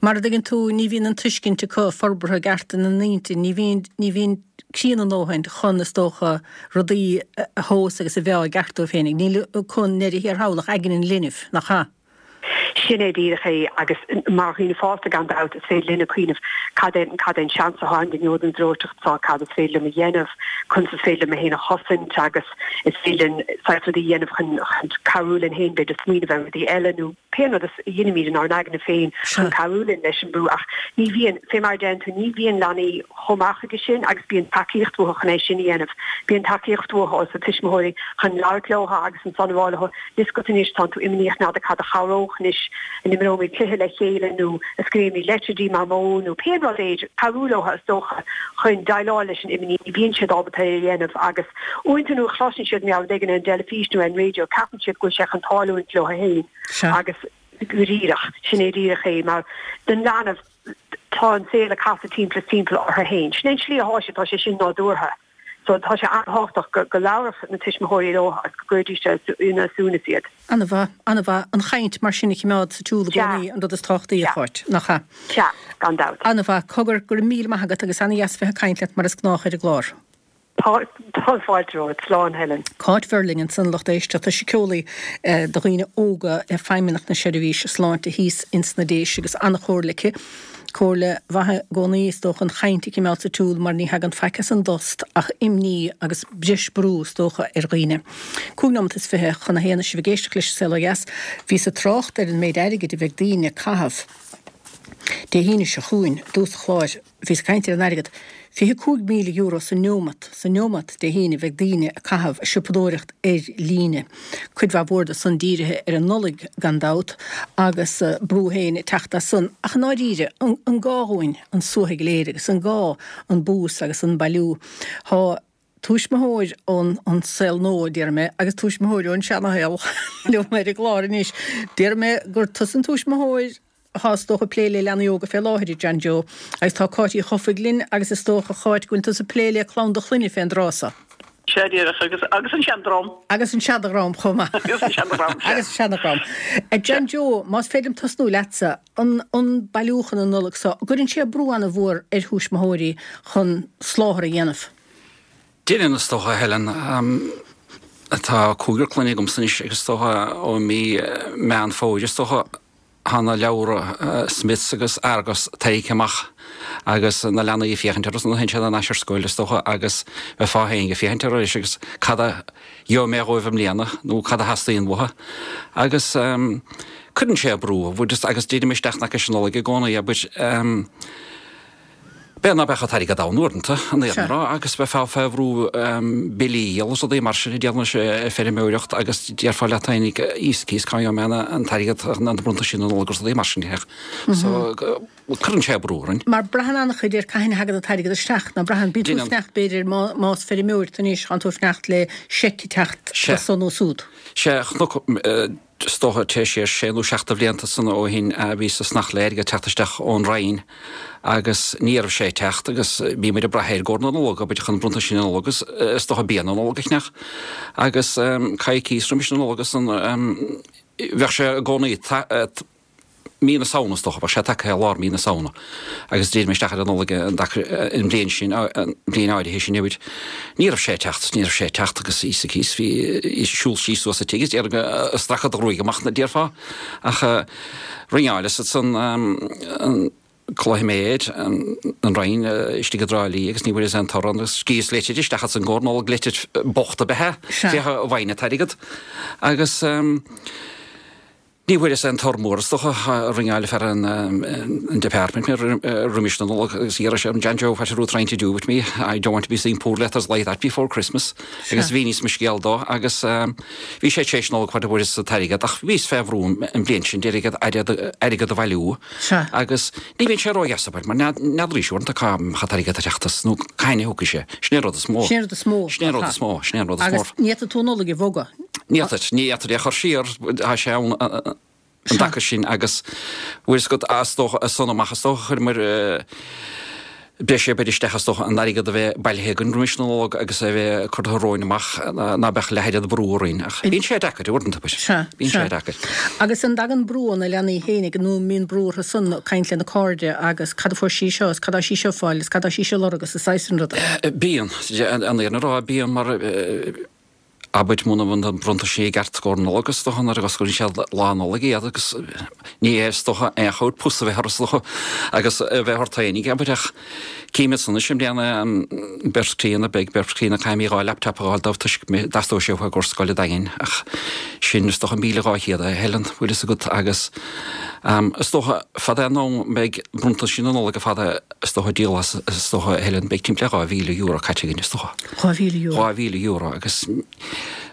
Mar a dtuigeann tú, ní bhíonn an tuiscint acu forbartha i gceart ina n-intinn, ní bhíonn, ní bhíonn críonna a ndóthain chun, is dócha, rudaí a thomhas agus a mheá i gceart dóibh féinig. Níl acu i ndeireadh thiar thall ach aigne an linbh, nach ea? Sin é díreach é agus mar dhaoine fásta gan dabht is féidir linne cuimhneamh cad é cad é an seans atá ann go ngeobhad an bhreoiteacht seo, cad is féidir liom a dhéanamh, conas is féidir liom mé féin a chosaint agus is féidir linn saghas rudaí a dhéanamh chun chun cabhrú linn féin b'fhéidir smaoineamh ar rudaí eile nó pé rud a dheinimid inár n-aigne féin chun cabhrú linn leis an brú ach ní bhíonn, fé mar a deireann tú, ní bhíonn leanaí chomh maith chuige sin agus bíonn tacaíocht uathu chun é sin a dhéanamh. Bíonn tacaíocht uathu os na tuismitheoirí chun labhairt leo agus ansan a rá leo, 'Tá 'fhios agat anois, tánn tú imníoch, n'fheadar cad a chabhródh anois, an imreoimid cluiche le chéile nó an scríobhaimid leitir go dtí Mamó nó pé rud é, cabhrú leo is dócha chun déileáil leis an imní, ní bhíonn siad ábalta é a dhéanamh agus uaireanta nuair a chloiseann siad mar gheall ar rud éigin ar an dteilifís nó ar an raidió ceapann siad go bhfuil sé chun tarlúint leo féin agus go díreach, sin é díreach é mar don leanbh tá an saol ag casadh timpeall is timpeall orthu féin. Sin é an tslí atá sé, tá sé sin nádúrtha. So tá sé an-tábhachtach go go labharfadh na tuismitheoirí leo agus go gcuirfidís ina suaimhneas iad. An-mhaith, an-mhaith. An chaint mar sin a choimeád sa tsiúl i gcónaí an rud is tábhachtaí, a Cháit, nach ea? Sea, gan dabht. An-mhaith. Cogar, go raibh míle maith agat agus ana-dheas bheith ag caint leat mar is gnách ar an gclár. Tá tá fáilte romhat. Slán, Helen. Cáit Verling ansan, a lucht éisteachta, síceolaí do dhaoine óga le Feidhmeannacht na Seirbhíse Sláinte thíos ins na Déise agus an-chomhairle aici. Comhairle mhaith i gcónaí is dócha an chaint a choimeád sa tsiúl mar ní thagann faic as an dtost ach imní agus breis brú is dócha ar dhaoine. Cúig nóimeat is fiche chun a haon is sibh ag éisteacht leis an Saol Ó Dheas. Bhíos ag trácht ar an méid airgid a bheidh daoine ag caitheamh Dé hAoine seo chugainn i dtús an chláir. Bhíos ag caint ar an airgead. Fiche cúig míle euro sa neomat, sa neomat Dé hAoine bheidh daoine ag caitheamh ag siopadóireacht ar líne. Cuid mhaith mhór de san dírithe ar an Nollaig gan dabht agus brú féin ag teacht as san. Ach i ndáiríre, an an gá dhúinn an suaitheadh go léir agus an gá an bús agus an bailiú? Tá tuismitheoir ón an saol nua, déarfaidh mé, agus tuismitheoir ón seanashaol liom ar an gclár anois. Déarfaidh mé gur tusa an tuismitheoir atá is dócha ag plé le leanaí óga fé láthair, a John Joe, agus tá Cáit Uí Chofaigh linn agus is dócha, a Cháit, go bhfuil tusa ag plé le clann do chlainne fén dtráth so. Sea, díreach, agus, agus an seandream. Agus an seandream chomh maith. Agus an seandream, sea. Agus an seandream. A John Joe, más féidir liom tosnú leatsa, an, an bailiúchán an Nollaig so, an gcuireann sé brú an-mhór ar thuismitheoirí chun soláthar a dhéanamh? Déanann, is dócha, a Helen. Tá cúigear clainne agamsa anois agus is dócha ó mí Meán Fómhair, is dócha, Tá na leabhra Smiths agus Argos tarraingthe amach agus na leanaí ag féachaint orthu nuair a théann siad thar n-ais ar scoil, is dócha, agus bheifeá féin ag féachaint orthu anois agus cad a gheobhaidh mé dhóibh i mbliana nó cad a theastaíonn uathu. Agus cuireann sé brú, agus dírim isteach in aice leis an Nollaig i gcónaí, abair. B'fhéidir ná beadh an t-airgead ann uaireanta, an fhírinne a rá, agus bheifeá fé bhrú billí a dhíol agus rudaí mar sin a déanamh leis an feirmeoireacht agus déarfá leat féinig Íoscaíos cá ngeobhaidh mé an t-airgead chun na bronntaisí na Nollag agus rudaí mar sin a So cuireann sé brú orainn. Mar braitheann an-chuid ar cathain a thagann an t-airgead isteach, ná braitheann? Bíonn tú ag fanacht b'fhéidir más feirmeoir tú anois, tánn tú ag fanacht le seic ag teacht Sea. as so nó súd. Sea, chonac Is dócha téigh siar sé nó seacht de bhlianta san ó shin a bhíos ag fanacht le airgead teacht isteach ón Roinn agus ní raibh sé ag teacht agus bhí muid ag brath air i gcomhair na Nollag, abair, chun bronntaisí na Nollag agus is dócha bia na Nollag a cheannach agus coicíos roimis na Nollag san bheadh sé i gcónaí mí na Samhna is dócha, bheadh sé tagtha i lár mí na Samhna agus d'éirigh mé isteach ar an Nollaig an an bhliain sin, an bhliain áirithe sin, abair. Ní raibh sé ag teacht, ní raibh sé ag teacht agus thíos thíos, bhí siúl síos suas an tigh is déarfainn go stracadh do ghruaig amach, déarfá. Ach ringeáileas ansan an Cloiméir, an Roinn istigh i dTrá Lí agus ní bhfuaireas aon toradh agus scríobhas litir isteach ansan i gcomhair Nollag, litir bocht ab ea é, féach an bhfaighinn an t-airgead. Agus. Ní bhfuaireas aon toradh mór is dócha, ringeáil fear an department mé roimis na Nollag agus d'iarr sé orm, John Joe, what are you trying to do with me? I don't want to be seeing poor letters like that before Christmas. Agus mhíníos mo scéal dó agus bhí sé tar éis Nollag fad a bhfuaireas an t-airgead ach bhíos fé bhrú an bhliain sin d'iarraidh airgead a bhailiú agus ní bhíonn sé ródheas abair mar n'fheadraís uaireanta cá mbeadh an t-airgead ag teacht as nó cathain a thiocfaidh sé. Sin é an rud is mó. Sin é an rud is mó. Sin é an rud is mó. Sin é an rud is mó. Agus ní fhéadfaidh tú an Nollaig a bhogadh. Ní fhéadfar, ní fhéadfar é a chur siar, tá sé ann an dtaca sin agus bhfuil fhios agat, is dócha, as san amach is dócha, chuireamar breis oibre isteach is dócha an airgead a bheith bailithe againn roimis na Nollag agus a bheith curtha romhainn amach ná beadh leath oiread brú orainn ach bíonn sé deacair uaireanta, Sea, bíonn sé sea. deacair. Agus an dtagann brú ó na leanaí fhéinig nó an mbíonn brú orthu san caint lena cairde agus cad a fuair sí seo is cad tá sí seo ag fáil is cad tá sí seo ag lorg agus an saghas sin ruda? Bíonn, an fhírinne a rá, bíonn mar Abair muna mbíonn na bronntaisí i gceart i gcomhair na Nollag is dócha nuair a osclaíonn siad Lá Nollag iad agus ní hé is dócha aon chor pus a bheith orthu is dócha agus a bheith ort féinig abair ach cím iad san anois i mbliana an beirt chríonna beidh beirt chríonna caithfidh mé dhá laptop a fháil dóibh toisc go dteastóidh sé uathu i gcomhair scoile Daingin ach sin is dócha míle dhá chéad a Helen bhfuil fhios agat agus is dócha fad é an am beidh bronntaisí na Nollag ar fad is dócha díolta is dócha a Helen beidh timpeall dhá mhíle euro caite againn is dócha. Dhá mhíle euro. Dhá mhíle euro agus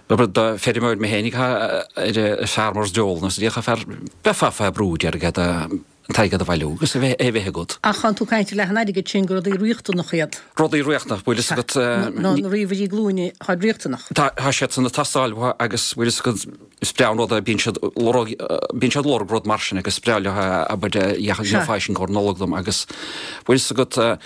Abair do feirmeoir mé fhéinig ar a Farmer's Dole nó is fear beifeá fé brú airgead an t-airgead a bhailiú agus a bheith a bheith agat. Ach tánn tú ag caint ar leath an airgid sin gur rudaí riachtanacha iad. Rudaí riachtanach, bhfuil fhios agat. Nó na ríomhairí glúine, táid riachtanach. Tá siad san ag teastáil uathu agus bhfuil fhios agat is breá an rud é bíonn siad lorg bíonn siad lorg rud mar sin agus is breá leo abair gheofá é sin i gcomhair Nollag dom agus bhfuil fhios agat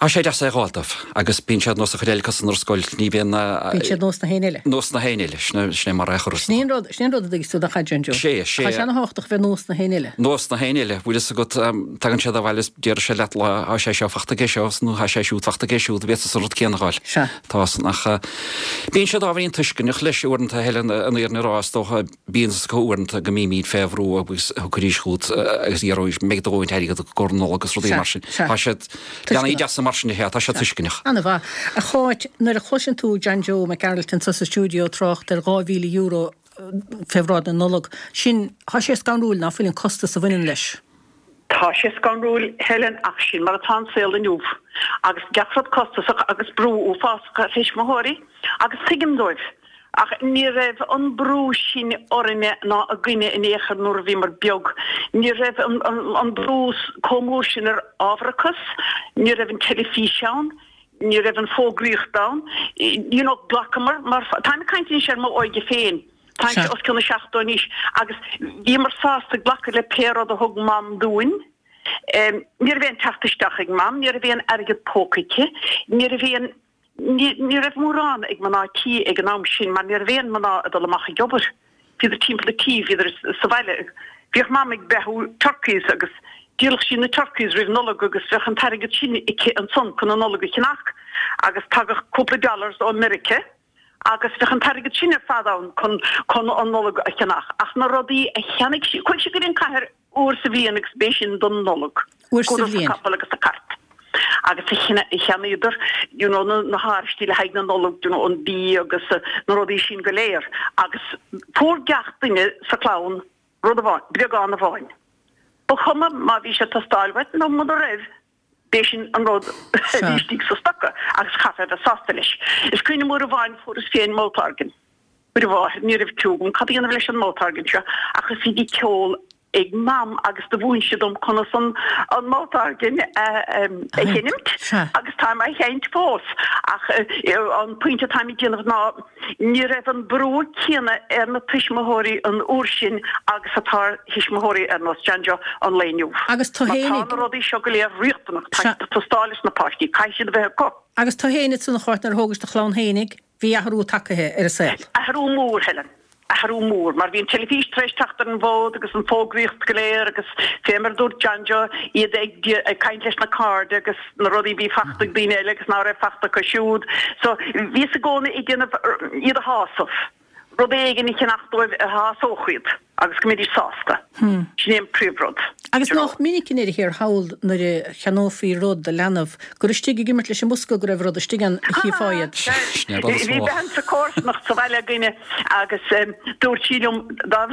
Tá sé deas é a dh'fháil dóibh agus bíonn siad nós an chuid eile acu san ar scoil, ní bhíonn na. Bíonn siad nós na héinne eile. Nós na héinne eile, sin é mar é a chur Sin é an rud, sin é an rud a dtuigeas tú nach ea, John Joe. Sé, sé. Tá sé ana-thábhachtach bheith nós na héinne eile. Nós na héinne eile, bhfuil fhios agat, tagann siad abhaile is déarfaidh siad leat lá, tá sé seo fachta aige seo nó tá sé siúd fachta aige siúd, bhféadfá an rud céanna a dh'fháil. Sea. Tá san ach bíonn siad ábhairín tuisceanach leis uaireanta, Helen, an fhírinne a rá, is dócha, Bíonn fhios acu uaireanta go mbímid fé bhrú agus thiocfaidís chugat agus iarrfaidís mbeidh do dhóthain airgead agat i gcomhair na Nollag agus rudaí mar sin. Tá siad, leanaí deasa mar sin, tá siad tuisceanach. Ana-mhaith. A Cháit, nuair a chloiseann tú John Joe Mac Gearailt anso sa stiúideo ag trácht ar dhá mhíle euro fé bhráid na Nollag, sin, tá sé scanrúil ná fuil an costas a bhaineann leis. Tá sé scanrúil, Helen, ach sin mar atá an saol inniu agus gach rud costasach agus brú uafásach ar thuismitheoirí agus tuigim dóibh. Ach ní raibh an brú sin orainne ná againne in aon chor nuair a bhíomar beag. Ní raibh an brú chomh mór sin ar ábharachas, ní raibh an teilifís ann, ní raibh an fógraíocht ann. You know, ghlacamar mar, táim ag caint anois ar m'óige féin, táimse os cionn na seachtó anois, agus bhíomar sásta glacadh le pé rud a thug Mam dúinn. Ní raibh aon teacht isteach ag Mam, ní raibh aon airgead póca aici, ní raibh aon. Ní raibh mórán ag mná tí ag an am sin mar ní raibh aon mná ag dul amach ag obair. Bhíodar timpeall an tí, bhíodar sa bhaile. Bhíodh Mam ag beathú turkeys agus dhíoladh sí na turkeys roimh Nollaig agus bheadh an t-airgead sin aici ansan chun an Nollaig a cheannach agus tagadh cúpla dollars ó Meirice agus bheadh an t-airgead sin ar fad ann chun chun an Nollaig a cheannach. Ach na rudaí a cheannaigh sí, chuaigh sí go dtí an cathair uair sa bhliain agus b'é sin don Nollaig. Uair sa Chuadar sa bhliain. capall agus sa cart. Agus cheannaíodar you know na háraistí le haghaidh na Nollag, you know an bia agus na rudaí sin go léir. Agus fuair gach duine sa chlann rud amháin, bréagán amháin. Ba chuma má bhí sé ag teastáil uait nó muna raibh, b'é sin an rud a bhí istigh sa stoca agus chaithfeá a bheith sásta leis. Is cuimhin liom uair amháin fuaireas féin mouth organ. Uair amháin ní raibh cliú agam cad a dhéanamh leis an mouth organ seo ach is bhí ceol ag Mam agus do mhúin sí dom conas an an mouth organ a a sheinmt agus táim á sheinnt fós ach an pointe atáim ag déanamh ná ní raibh an brú céanna ar na tuismitheoirí an uair sin agus atá ar thuismitheoirí ar nós John Joe an lae inniu. Agus tú Mar tá fhéinig. na rudaí seo go léir riachtanach, tá siad ag teastáil os na páistí, caithfidh siad a bheith acu. Agus tú fhéin ansan a Cháit nuair a thógais do chlann fhéinig, bhí athrú tagtha ar an saol. Athrú mór, Helen. Athrú mór, mar bhí an teilifís tar éis teacht ar an bhfód agus an fógraíocht go léir agus fé mar a dúirt John Joe, iad ag ag caint leis na cairde agus na rudaí a bhí fachta ag daoine eile agus ná raibh fachta acu siúd. So bhíos i gcónaí ag déanamh iad a shásamh, rud éigin a cheannach dóibh a shásódh iad agus go mbeidís sásta. Sin é an príomhrud. Agus you know. nách minic i ndeireadh thiar thall nuair a cheannófaí rud do leanbh gur istigh ag imirt leis an mbosca go raibh rud istigh ann a chífeá iad. Sin é an rud is Bhí mó. bean sa chomharsanacht sa bhaile againne agus dúirt sí liom dá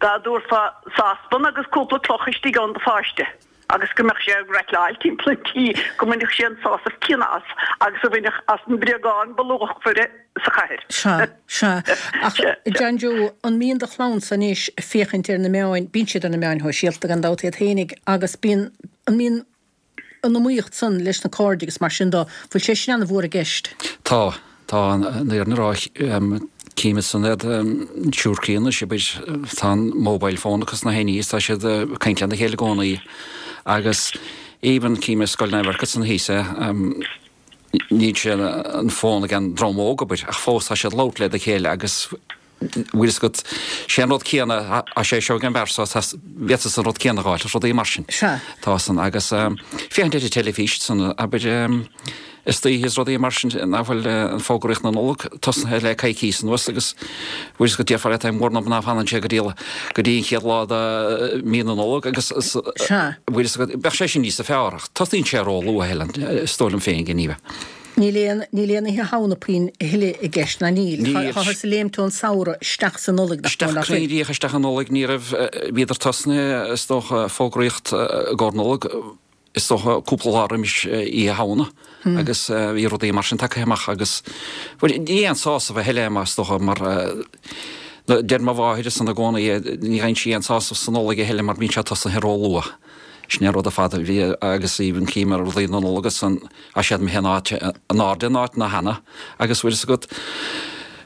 dá dtabharfá sáspan agus cúpla cloch istigh ann do pháiste agus go mbeadh sé ag raitleáil timpeall an tí go mbainfeadh sé an sásamh céanna as agus a bhainfeadh as an mbréagán ba luachmhaire sa chathair. Sea, sea. Ach, John Joe, an mbíonn do chlannsa anois ag féachaint ar na meáin, bíonn siad ar na meáin shóisialta gan dabht iad fhéinig, agus bíonn, an mbíonn an iomaíocht san leis na cairde agus mar sin dó, bhfuil sé sin ana-mhór i gceist? Tá, tá, an fhírinne a rá, Cím san iad siúr críonna, sé tá an mobile phone acu sna héiní, tá siad ag caint lena chéile i gcónaí agus even cím i Scoil Naomh Eircet san thíos é, níl sé an fón ag an dream óg abair ach fós tá siad ag labhairt le chéile agus bhfuil fhios agat sé an rud céanna a sé seo ag an bhfear seo bhféadfas an rud céanna a dh'fháil is rudaí mar sin. Sea. Tá san agus féachaint ar an teilifís san abair istoíche is rudaí mar sin nach bhfuil an fógraíocht na Nollag tosnaithe le coicís anuas agus bhfuil fhios agat déarfá leat é mór ná fanann sé go dtí go dtí an chéad lá de mí na Nollag agus Sea. bhfuil fhios agat bheadh sé sin níosa fearr ach tosaíonn sé ró-luath Helen is dóigh liom féin go ní bheith. Níl aon níl aon Oíche Shamhna puinn a thuilleadh i gceist ná níl. Níl. Táthar ag léimt ón samhradh isteach sa Nollaig nach Isteach bhfuil nach bhfuil. cruinn díreach isteach i Nollaig ní raibh bhíodar tosnaithe is dócha fógraíocht i gcomhair Nollag is dócha cúpla lá roimis Oíche Shamhna agus bhí rudaí mar sin tagtha amach agus bhuel ní aon sásamh a thuilleadh é is dócha mar deir mo mháthair san i gcónaí ní gheibheann sí aon sásamh sa Nollaig a thuilleadh mar bíonn sé tosnaithe ró-luath. Sin é an rud ar fad a bhí agus even cím ar rudaí na Nollag san tá siad imithe in áit in airde in áit na cheana agus bhfuil fhios agat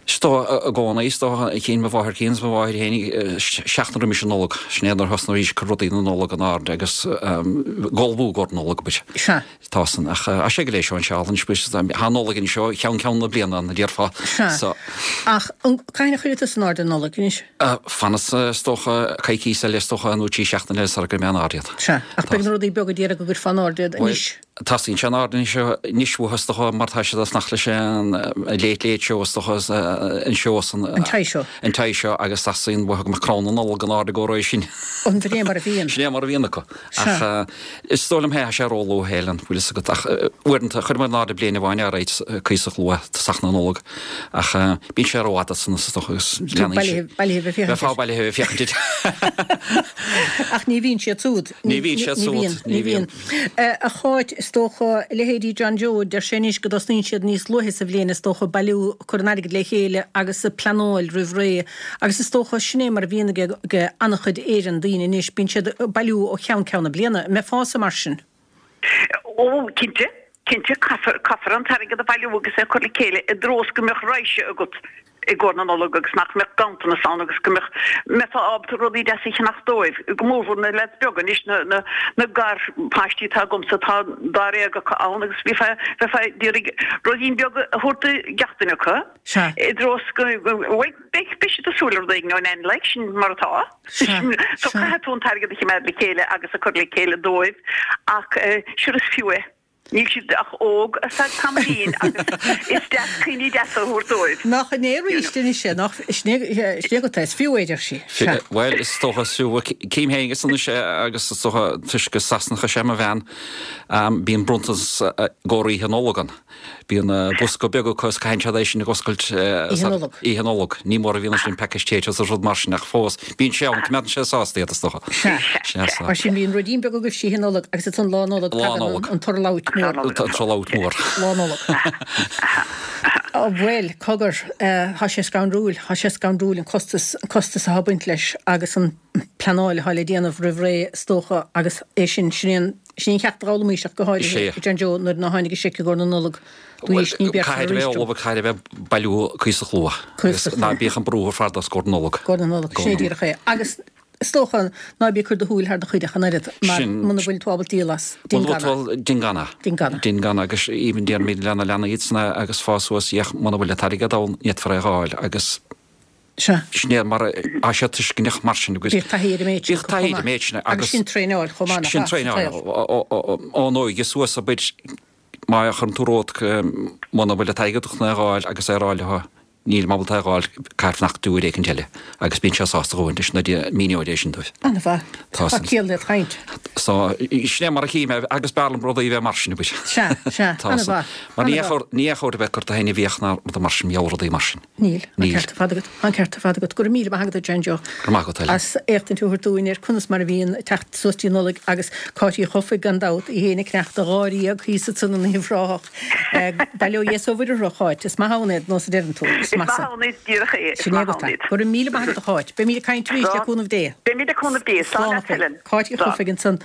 is dócha i gcónaí is dócha chinn mo mháthair cinn is mo mháthair féin seachtain roimis an Nollaig sin é nuair a thosnaigh arís cur rudaí na Nollag in airde agus ag ullmhú i gcomhair Nollag abair. Sea. Tá san ach tá sé go léir seo anseo anois bhuel tá an Nollaig anseo cheann ceann na bliana ann a déarfá. Sea. So. Ach an cathain a chuirfidh tusa in airde an Nollaig anois? Fanfaidh is dócha coicís eile is dócha nó trí seachtaine eile sara gcuirfidh mé in airde iad. Sea. Ach beidh na rudaí beaga d'iarraidh go gcuirfeá in airde iad anois. Tosaíonn sé in airde anois anois uathu is dócha mar tá siad ag fanacht leis an Late Late Show is dócha an seó san. An Toy Show. An Toy Show agus teastaíonn uathu go mbeadh crann na Nollag in airde i gcomhair sin. An bhfuil é mar a bhíonn? Sin é mar a bhíonn acu. Ach is dóigh liom tá sé róluath Helen, bhfuil fhios agat ach uaireanta chuir mé in airde bliain amháin ar aghaidh cuíosach luath tosach na Nollag ach bíonn sé rófhada san is dócha agus leanann sé. Bailithe bheith féachaint. Bheifeá bailithe bheith féachaint air. Ach ní bhíonn siad súd. Ní bhíonn siad súd. Ní bhíonn. A Cháit, is dócha, leithéidí John Joe, deir sé anois go dtosnaíonn siad níos luaithe sa bhliain, is dócha, bailiú, cur an airgid le chéile agus pleanáil roimh ré. Agus is dócha, sin é mar a bhíonn ag an-chuid Éireann daoine anois, bíonn siad ag bailiú ó cheann ceann na bliana. An mbeifeása mar sin? Ó, cinnte, cinnte, caithfear, caithfear an t-airgead a bhailiú agus é a chur le chéile i dtreo is go mbeadh raidhse agat i gcomhair na Nollag agus nach mbeadh ganntanas ann agus go mbeadh, mbeifeá ábalta rudaí deasa a cheannach dóibh, go mórmhór na leaids beaga anois, na, na, na garpháistí atá agamsa, tá dáréag acu ann agus bheifeá, bheifeá d'iarraidh ruidín beag a thabhairt do gach duine acu Sea. i dtreo is go, bhuel, beidh, beidh siad ag súil le rud éigin ó Nan like, sin mar atá. Sea, So sea. caithfidh tú an t-airgead a choimeád le chéile agus a chur le chéile dóibh ach eh, sure is fiú é. Níl siad ach óg ar feadh tamaillín agus is deas cuimhní deasa a thabhairt dóibh. Nach in é arís anois é, nach sin é sin é go is fiú é, deir sí. Sea. Bhuel, is dócha is fiú cím féin is anois é agus is dócha toisc gur Sasanach is ea mo bhean, bíonn bronntanas i gcomhair Oíche Nollag ann. Bíonn bosca beag acu is caitheann siad é sin ag oscailt Oíche Nollag. Oíche Nollag. Ní mór a bhíonn ansin pacáiste is rud mar sin ach fós bíonn sé ann, coimeádann sé sásta iad is dócha. Sea. Sea, sea. Mar sin bíonn ruidín beag agaibh Oíche Nollag agus ansan Lá Nollag Lá tagann Nollag. an turlabhairt mór. An turlabhairt mór. Lá Nollag. Ó bhuel, cogar, tá sé scanrúil, tá sé scanrúil an costas, an costas atá ag baint leis agus an pleanáil atá le déanamh roimh ré is dócha agus é sin, sin é an, sin é an ceacht a d'fhoghlaimís ach go háirithe Is é. John Joe nuair ná tháinig an seic i gcomhair na Nollag dúís ní bheadh Caithfidh a bheith ullamh, caithfidh a bheith bailiú cuíosach luath. Cuíosach Agus ná luath. bíodh an brú ar fad os comhair na Nollag. Comhair na Nollag, sin é díreach é. Agus is dócha ná bí ag cur do shúil thar do chuid ach an oiread mar Sin- muna bhfuil tú ábalta díol as, Muna déan bhfuil gan tú é. ábalta, déan gan é. Déan gan é. Déan gan é agus even déarfaimid lena leanaí iad sna agus fás suas iach muna bhfuil an t-airgead ann ní fhéadfar é a dh'fháil agus Sea. Sin é mar a sé tuisceanach mar sin agus Bíodh taithí ar an méid sin Bíodh taithí ar an méid sin agus sin traenáil chomh maith Sin traenáil ón óige suas a bit má chuireann tú romhat muna bhfuil an t-airgead chun é a dh'fháil agus é a rá leo níl mé ábalta é a dh'fháil caithfear fanacht uair éicint eile agus bíonn sé sásta dhóthain leis na míneoidh é sin dóibh. An-mhaith. Tá Tá san. ciall le caint. So sin é mar a chím é agus b'fhearr liom rudaí a bheith mar sin a bit. Sea, sea, Tá san. an-mhaith. Mar ní An-mhaith. chóir ní chóir a bheith curtha féin i bhfiach ná rud mar sin, mheall rudaí mar sin. Níl, an Níl. ceart ar fad agat, an ceart ar fad agat. Go raibh míle maith agat, John Joe. Go raibh maith agat, Helen. As éachtaint a thabhairt dúinn ar conas mar a bhíonn teacht suas dtí Nollaig agus Cáit Uí Chofaigh gan dabht, í féin ag cneachta dháréag thíos ansan in Uíbh Ráthach. Bail ó Dhia is ó Mhuire orthu, a Cháit, is maith ann iad, nós a deireann tú. Is Is maith ann iad, díreach é, is Sin é maith agat ann é. iad. Go raibh míle maith agat a Cháit. Beimid ag caint arís le Slán. cúnamh Dé. Beimid le cúnamh Dé. Slán Slán leat, a Helen. Helen. Cáit Uí Slán. Chofaigh ansan,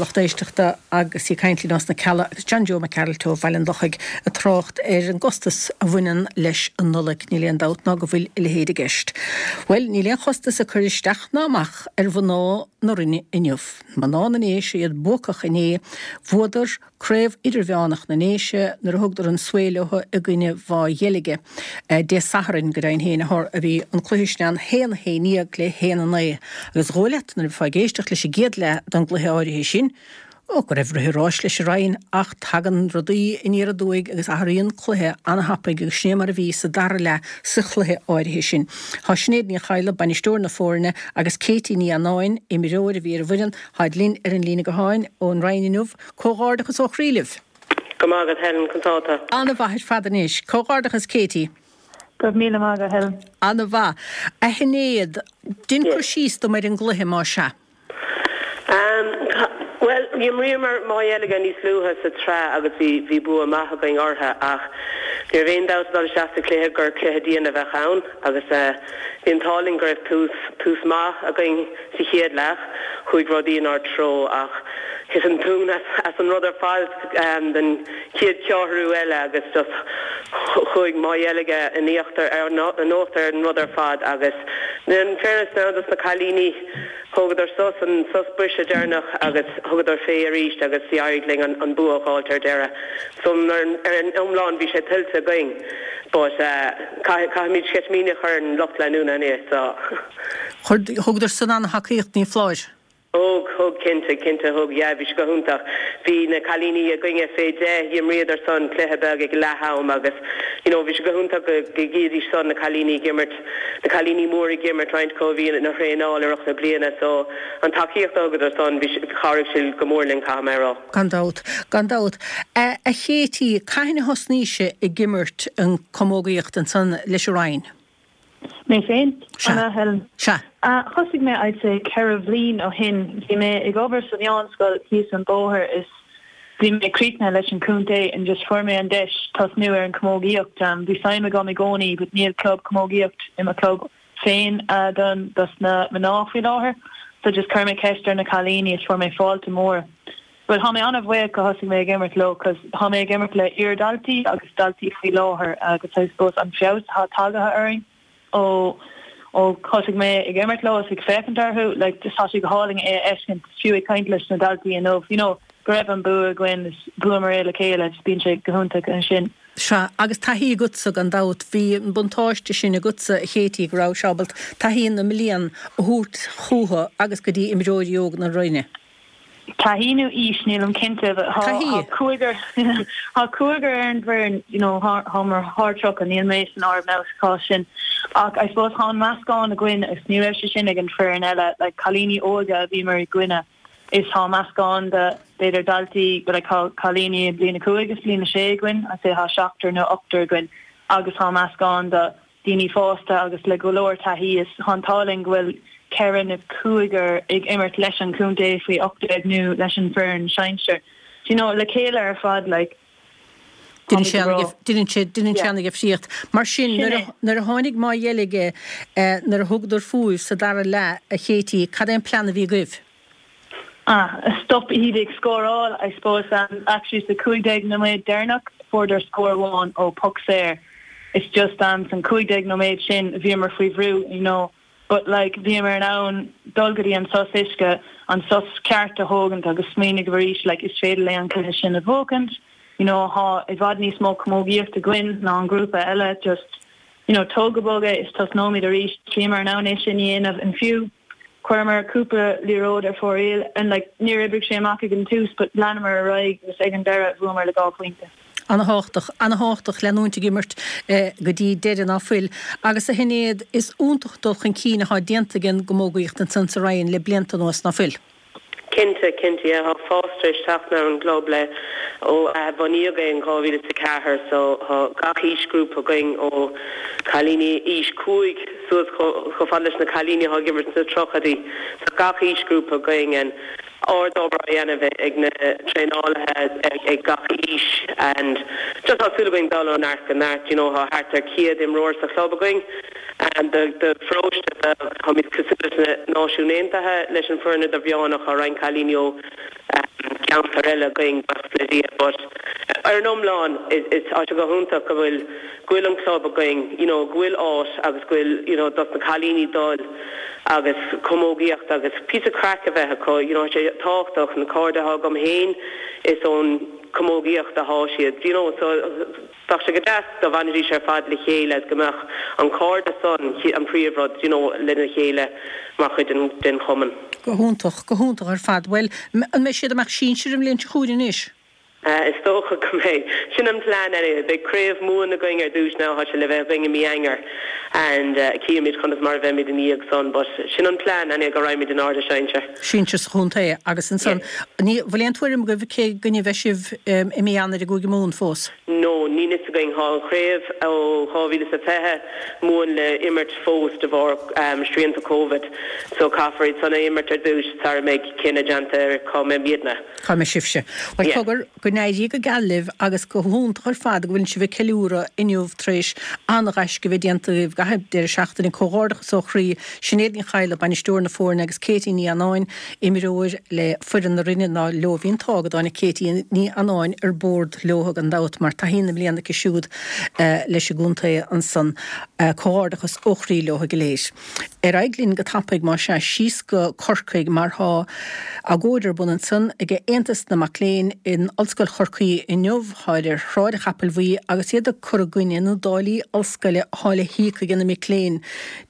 lucht éisteachta agus í ag caint linn as na Cealla agus John Joe Mac Gearailt ó Bhaile an Lochaigh ag trácht ar an gcostas a bhaineann leis an Nollaig. Níl aon dabht ná go bhfuil a leithéid i gceist. Bhuel, níl aon chostas ag cur isteach ná amach ar mhná na Rinne inniu. Mná na nDéise iad buacach inné, bhuadar Craobh Idirmheánach na nDéise nuair a thugadar an svae leo i gcoinne Mhaigh Dheilge Dé Sathairn go deimhin féin a bhí an cluiche sin ann haon a haon déag le haon a naoi agus dhóigh leat nuair a bheifeá ag éisteacht leis an gcéad leath den gcluiche áirithe sin ó go raibh rith an ráis leis an Rinn ach tagann rudaí aniar aduaidh agus athraíonn cluiche an-thapaidh agus sin é mar a bhí sa dara leath sa chluiche áirithe sin. Tá Sinéad Ní Chadhla, bainisteoir na foirne, agus Katie Ní Annáin, imreoir a bhí ar an bhfoireann, táid linn ar an líne gutháin ón Rinn inniu. Comhghairdeachas ó chroí libh! Go maith agat Helen, conas tá tú? An-mhaith ar fad anois. Comhghairdeachas Katie. Go raibh míle maith agat Helen. An-mhaith. A Shinéad, dein cur síos dom ar an gcluiche más ea. Bhuel, d'imríomar Maigh Dheilge níos luaithe sa tsraith agus bhí bhí bua maith againn orthu ach ní raibh aon dabht ag dul isteach sa chluiche gur cluiche dian a bheadh ann agus bhí an t-ádh linn go raibh tús tús maith againn sa chéad leath. Chuaigh rudaí inár dtreo ach thit an tóin as as an rud ar fad den chéad cheathrú eile agus just chuaigh Maigh Dheilge in íochtar in uachtar ar an rud ar fad agus in fairness now dos na cailíní Thógadar sos, an sos briseadh deireanach agus thugadar fé arís agus d'éirigh linn an an bua a dh'fháilt ar deireadh. So ar ar an iomlán bhí sé tuillte againn but caithfidh caithfimid sceitimíní a chur ar an lucht leanúna anois so. Chuir, thugadar san an-tacaíocht, ní foláir? Thug, thug, cinnte, cinnte thug, yeah, bhí sé go hiontach. Bhí na cailíní againne fé deich, d'imríodar san cluiche beag ag leath am agus you know bhí sé go hiontach go go gcídís san na cailíní ag imirt, na cailíní móra ag imirt, roinnt acu a bhí ina thraenáil i rith na bliana so an tacaíocht a thugadar san bhí sé, chabhraigh sé go mór linn caithfidh mé a rá. Gan dabht, gan dabht. A Chéití, cathain a thosnaís-se ag imirt an camógaíocht ansan leis an Rinn? Mé féin? Sea. An ea, Helen? Sea. Thosaigh mé, I'd say, ceithre bhliain ó shin. Bhí mé ag obair sa mheánscoil thíos an bóthar is bhí mé críochnaithe leis an chontae and just fuair mé an deis tosnú ar an camógaíocht. Bhí suim agam i gcónaí but níl club camógaíocht i mo club féin don dos na mná faoi láthair so just chuir mé ceist ar na cailíní is fuair mé fáilte mór. But tá mé an-bhuíoch go thosaigh mé ag imirt leo cos tá mé ag imirt le iar-daltaí agus daltaí faoi láthair agus I suppose an feabhas atá tagaithe orainn ó ó thosaigh mé ag imirt leo is ag féachaint orthu like just tá sé go hálainn é a fheiscint fiú ag caint leis na daltaí inniu you know go raibh an bua againn is bhuamar é le chéile just bíonn sé go hiontach ansin. Sea, agus taithí agatsa gan dabht, bhí an buntáiste sin agatsa a Chéití go raibh ábalta taithí na mblian a thabhairt chucu agus go dtí imreoirí óga na Rinne. Taithí nó aois, nílim cinnte, but tá Taithí. tá cúigear tá cúigear ar an bhfoireann, you know, thar thar thar tríocha, níl mé san áireamh now sa chás sin. Ach I suppose tá an meascán againn agus ní raibh sé sin ag an foireann eile, like cailíní óga a bhíomar i gcoinne is tá meascán de b'fhéidir daltaí but like tá cailíní i bliain a cúig is bliain a sé againn, I'd say tá seachtar nó ochtar againn agus tá meascán de daoine fásta agus le go leor taithí is tá an t-ádh linn go bhfuil ceithre nó cúigear ag imirt leis an chontae faoi ocht déag nó leis an bhfoireann sinsir. Do you know, le chéile ar fad like Deineann sé deineann sé deineann sé an-difríocht. Mar sin Sin nuair é. a nuair a tháinig Maigh Dheilge nuair a thugadar fúibh sa dara leath a Chéití, cad é an plean a bhí agaibh? Ah, stop iad ag scóráil, I suppose um, actually sa cúig déag nóiméad deireanach fuaireadar scór amháin ó puc saor. It's just um, san cúig déag nóiméad sin bhíomar faoi bhrú, you know, but like bhíomar in ann dul go dtí an sos uisce, an sos ceart a thógaint agus smaoineamh arís like is féidir linn an cluiche sin a bhuachaint, you know, tá i bhfad níos mó camógaíocht againn ná an grúpa eile, just you know, tóg go bog é is tosnóimid arís, bhíomar in ann é sin a dhéanamh and fiú chuireamar cúpla liathróid ar fóraoil and like níor oibrigh sé amach ag an tús but leanamar ar aghaidh agus ag an deireadh bhuamar le dhá phointe. An-thábhachtach, an-thábhachtach leanúint ag imirt go dtí deireadh ná fuil. Agus a Shinéad, is iontach dul chun cinn atá déanta ag an gcamógaíocht ansan sa Rinn le blianta anuas ná fuil. Cinnte, cinnte, yeah, tá fás tar éis teacht ar an gclub le ó bunaíodh é in dhá mhíle is a ceathair so tá gach aoisghrúpa againn ó cailíní aois cúig suas chomh fada leis na cailíní atá ag imirt sna tríochaidí. Tá gach aoisghrúpa againn and ard-obair á dhéanamh ag na traenálaithe ag gach aois and just tá súil againn dul ó neart go neart, you know, tá thart ar céad imreoir sa chlub againn and the the pharóiste táimid cosúil leis na Náisiúin Aontaithe leis an foireann idirmheánach tá roinnt cailíní ó ceantar eile againn buíochas le Dia but ar an iomlán is is tá sé go hiontach go bhfuil go bhfuil an club againn you know go bhfuil áit agus go bhfuil you know dos na cailíní dul agus camógaíocht agus píosa craic a bheith acu you know sé tábhachtach na cairde atá agam féin is ón camógaíocht atá siad you know so bheadh sé go deas dá bhfanfaidís ar fad le chéile go mbeadh an cairdeas san an príomhrud you know lena chéile mar chuid den den chumann. Go hiontach, go hiontach ar fad. Bhuel, an mbeidh siad amach sinsir an bhliain seo chugainn anois? Is dócha go mbeidh. Sin an plean anyway. Beidh craobh Mumhan againn ar dtús now, tá sé le bheith againn i mí Eanáir and cífimid conas mar a bheimid ina dhiaidh san but sin an plean anyway go raghaimid in airde sinsir. Sinsir sa chontae agus ansan ní bhfuil aon tuairim agaibh cé gcoinne a bheidh sibh i mí Eanáir i gCúige Mumhan fós? No, níl fhios againn. Tá an chraobh ó dhá mhíle is a fiche Mumhan le imirt fós de bharr srianta Covid so caithfear iad san a imirt ar dtús sara mbeidh cinneadh déanta ar cá mbeimidne. Cá mbeidh sibhse. Bhuel cogar, go n-éirí go geal libh agus go hiontach ar fad go bhfuil sibh ag ceiliúradh inniu tar éis an-ghaisce a bheith déanta agaibh i gcaitheamh deireadh seachtaine. Comhghairdeachas ó chroí. Sinéad Ní Chadhla, bainisteoir na foirne agus Katie Ní Annáin, imreoir le foireann na Rinne ná leo bhí an t-ádh go dtáinig Katie Ní Annáin ar bord leo gan dabht mar taithí na mbliana aici siúd leis an gcontae ansan. Comhghairdeachas ó chroí leo go léir. Ar aghaidh linn go tapaidh más ea síos go Corcaigh mar thá agóid ar bun ansan ag Aontas na Mac Léinn in Ollscoil Chorcaí inniu, tháid ar Shráid an Chapaill Bhuí agus iad ag cur i gcoinne na dtáillí ollscoile athá le híoc ag na mic léinn.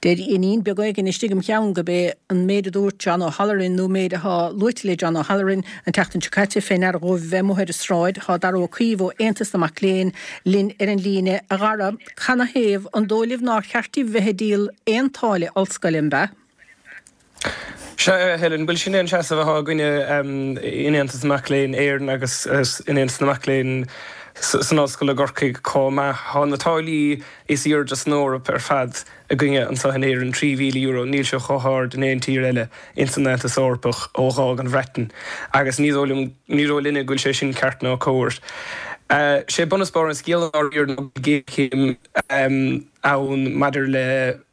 Deir iníon beag éigin istigh im cheann gurb é an méid a dúirt John O'Halloran nó méid athá luaite le John O'Halloran an tseachtain seo caite fé ndeara dhóibh bheith amuigh ar an sráid. Thá Dara Ó Caoimh ó Aontas na Mac Léinn linn ar an líne. A Dhara, canathaobh an dóigh libh nár cheart daoibh bheith ag díol aon táille ollscoile, an b'ea? Sea, a Helen, bhuel sin é an seasamh atá againne in Aontas na Mac Léinn Éireann agus in Aontas na Mac Léinn san Ollscoil i gCorcaigh chomh maith. Tá na táillí is airde san Eoraip ar fad againne anseo in Éirinn, trí mhíle euro, níl sé chomh hard in aon tír eile ins an Aontas Eorpach ó dh'fhág an Bhreatain agus ní dóigh liom, ní dóigh linne go bhfuil sé sin ceart ná cóir. Sé bunús barr an scéil i ndáiríre ná go bhfuil géarchéim ann maidir le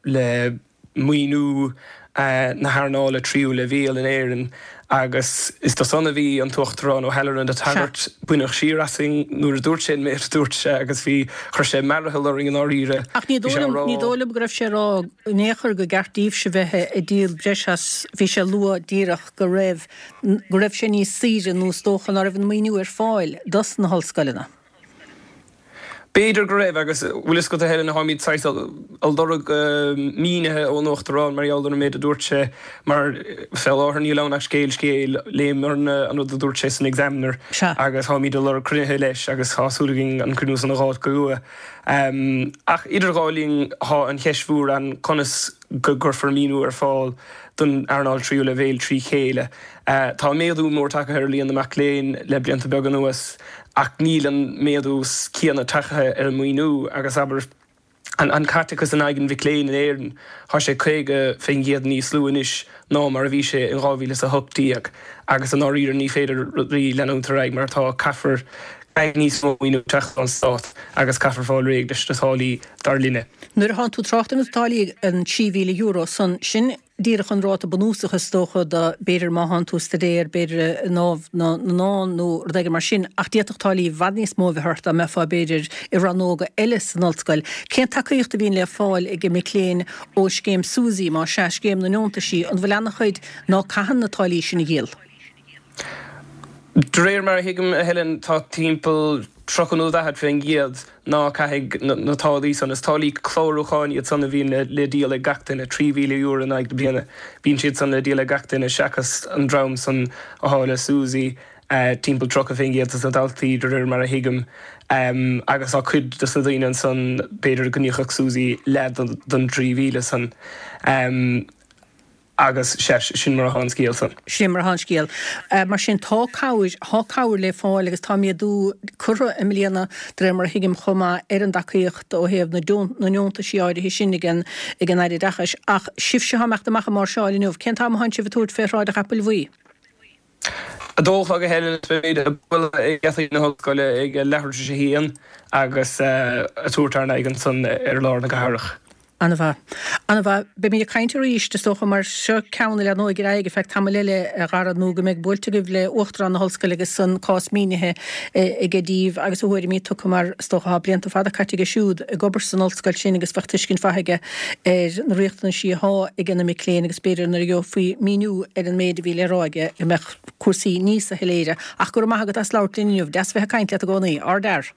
le maoiniú na hearnála tríú leibhéal in Éirinn agus is dó san a bhí an tUachtarán O'Halloran ag tagairt. Baineadh siar asainn nuair a dúirt sé an méid a dúirt sé agus bhí, chuir sé mearathal orainn i ndáiríre. Ach ní dóigh liom, ní dóigh liom go raibh sé ag rá in aon chor gur ceart daoibhse bheith ag díol breis as, bhí sé ag lua díreach go raibh, go raibh sé níos saoire nó is dócha ná raibh an maoiniú ar fáil dos na hollscoileanna. B'fhéidir go raibh, agus bhfuil fhios agat a Helen, táimid saghas ag lorg mínithe ón Uachtarán mar gheall ar an méid a dúirt sé, mar fé láthair níl ann ach scéal scéil, léamarna an rud a dúirt sé san Examiner agus táimid ag lorg cruinnithe leis agus tá súil againn an cruinniú san a dh'fháilt go luath. Ach idir dhá linn tá an cheist mhór ann conas go gcuirfear maoiniú ar fáil don earnáil tríú leibhéal trí chéile. Tá méadú mór tagtha ar líon na mac léinn le blianta beaga anuas ach níl an méadú céanna tagtha ar an maoiniú agus abair an caiteachas in aghaidh an mhic léinn in Éirinn, tá sé caoga faoin gcéad níos lú anois ná mar a bhí sé in dhá mhíle is a hocht déag agus i ndáiríre ní féidir rudaí leanúint ar aghaidh mar atá, caithfear caithfidh níos mó maoiniú teacht ón stát agus caithfear fáil réidh leis na táillí, dar linne. Nuair atánn tú ag trácht ar na táillí, an trí mhíle euro san, sin díreach an ráta bunúsach is dócha do, b'fhéidir má thánn tú ag staidéar, b'fhéidir i nDámh na nDán nó rud éigin mar sin, ach d'fhéadfadh táillí i bhfad níos mó a bheith ort dá mbeifeá b'fhéidir i rannóga eile san ollscoil. Cén tacaíocht a bhíonn le fáil ag mic léinn ó scéim SUSI, más ea, scéim na ndeontaisí, an bhfuil ana-chuid ná caitheann na táillí sin a dhíol? De réir mar a thuigim, a Helen, tá timpeall tríocha nó daichead faoin gcéad ná caithfidh na táillí san. Is táillí clárúcháin iad san a bhíonn le díol ag gach duine, trí mhíle euro in aghaidh na bliana. Bíonn siad san le díol ag gach duine seachas an dream san athá le SUSI, timpeall tríocha faoin gcéad de na daltaí, de réir mar a thuigim. Agus tá cuid de na daoine ansan, b'fhéidir go n-íocfadh SUSI leath den trí mhíle san. Agus, sea, sin mar atá an scéal san. Sin mar atá an scéal. Mar sin, tá cabhair, tá cabhair le fáil agus tá méadú curtha i mbliana, de réir mar a thuigim chomh maith, ar an dtacaíocht ó thaobh na na ndeontaisí áirithe sin ag an ag an Aire Oideachais. Ach sibhse atá ag imeacht amach ag máirseáil inniu, cén t-am atánn sibh ag tabhairt fé Shráid an Chapaill Bhuí? A dó a chlog a Helen is beimid ag bualadh ag geataí na hollscoile ag leathuair tar éis a haon agus ag tabhairt ár n-aghaidh ansan ar lár na cathrach. An-mhaith. An-mhaith. Beimid ag caint arís, is dócha, mar seo ceann a leanóidh ar aghaidh ar feadh tamaill eile, a Dhara, nó go mbeidh buailte agaibh le Uachtarán na hOllscoile agus an cás mínithe aige daoibh agus a thuairimí tugtha mar is dócha tá blianta fada caite aige siúd ag obair san ollscoil sin agus bheadh tuiscint mhaith aige ar na riachtanaisí atá ag na mic léinn agus b'fhéidir nuair a gheofaí míniú ar an méid a bhí le rá aige go mbeadh cúrsaí níosa shoiléire. Ach go raibh maith agat as labhairt linn inniu. Deas bheith ag caint leat i gcónaí. Ardfhear.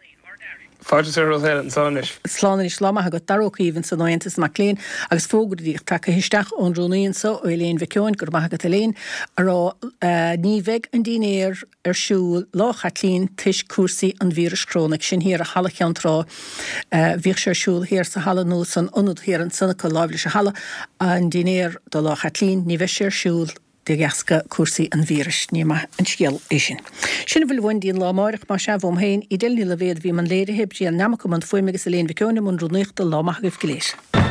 Fáilte is fiche romhat Helen. Slán anois. Slán anois. Lá maith agat. Dara Ó Caoimh ansan ó Aontas na Mac Léinn agus fógra díreach tagtha isteach ón rúnaí anso, ó Elaine Mhic Eoin, go raibh maith agat Elaine, a rá ní bheidh an dinnéar ar siúl Lá Chaitlín toisc cúrsaí an víris chrónaigh. Sin thiar i Halla Cheann Trá. Bhíodh sé ar siúl thiar sa halla nó san ionad thiar ansan acu láimh leis an halla. An dinnéar do Lá Chaitlín, ní bheidh sé ar siúl. de dheasca cúrsaí an víris. Ní maith an scéal é sin. Sin a bhfuil uainn go dtí an lá amáireach, más ea, uaim féin, Edel Ní Loibhéad a bhí i mbun léirithe, Brian Nammock i mbun fuaime agus Elaine Mhic Eoin i mbun rúnaíochta. Lá maith agaibh go léir.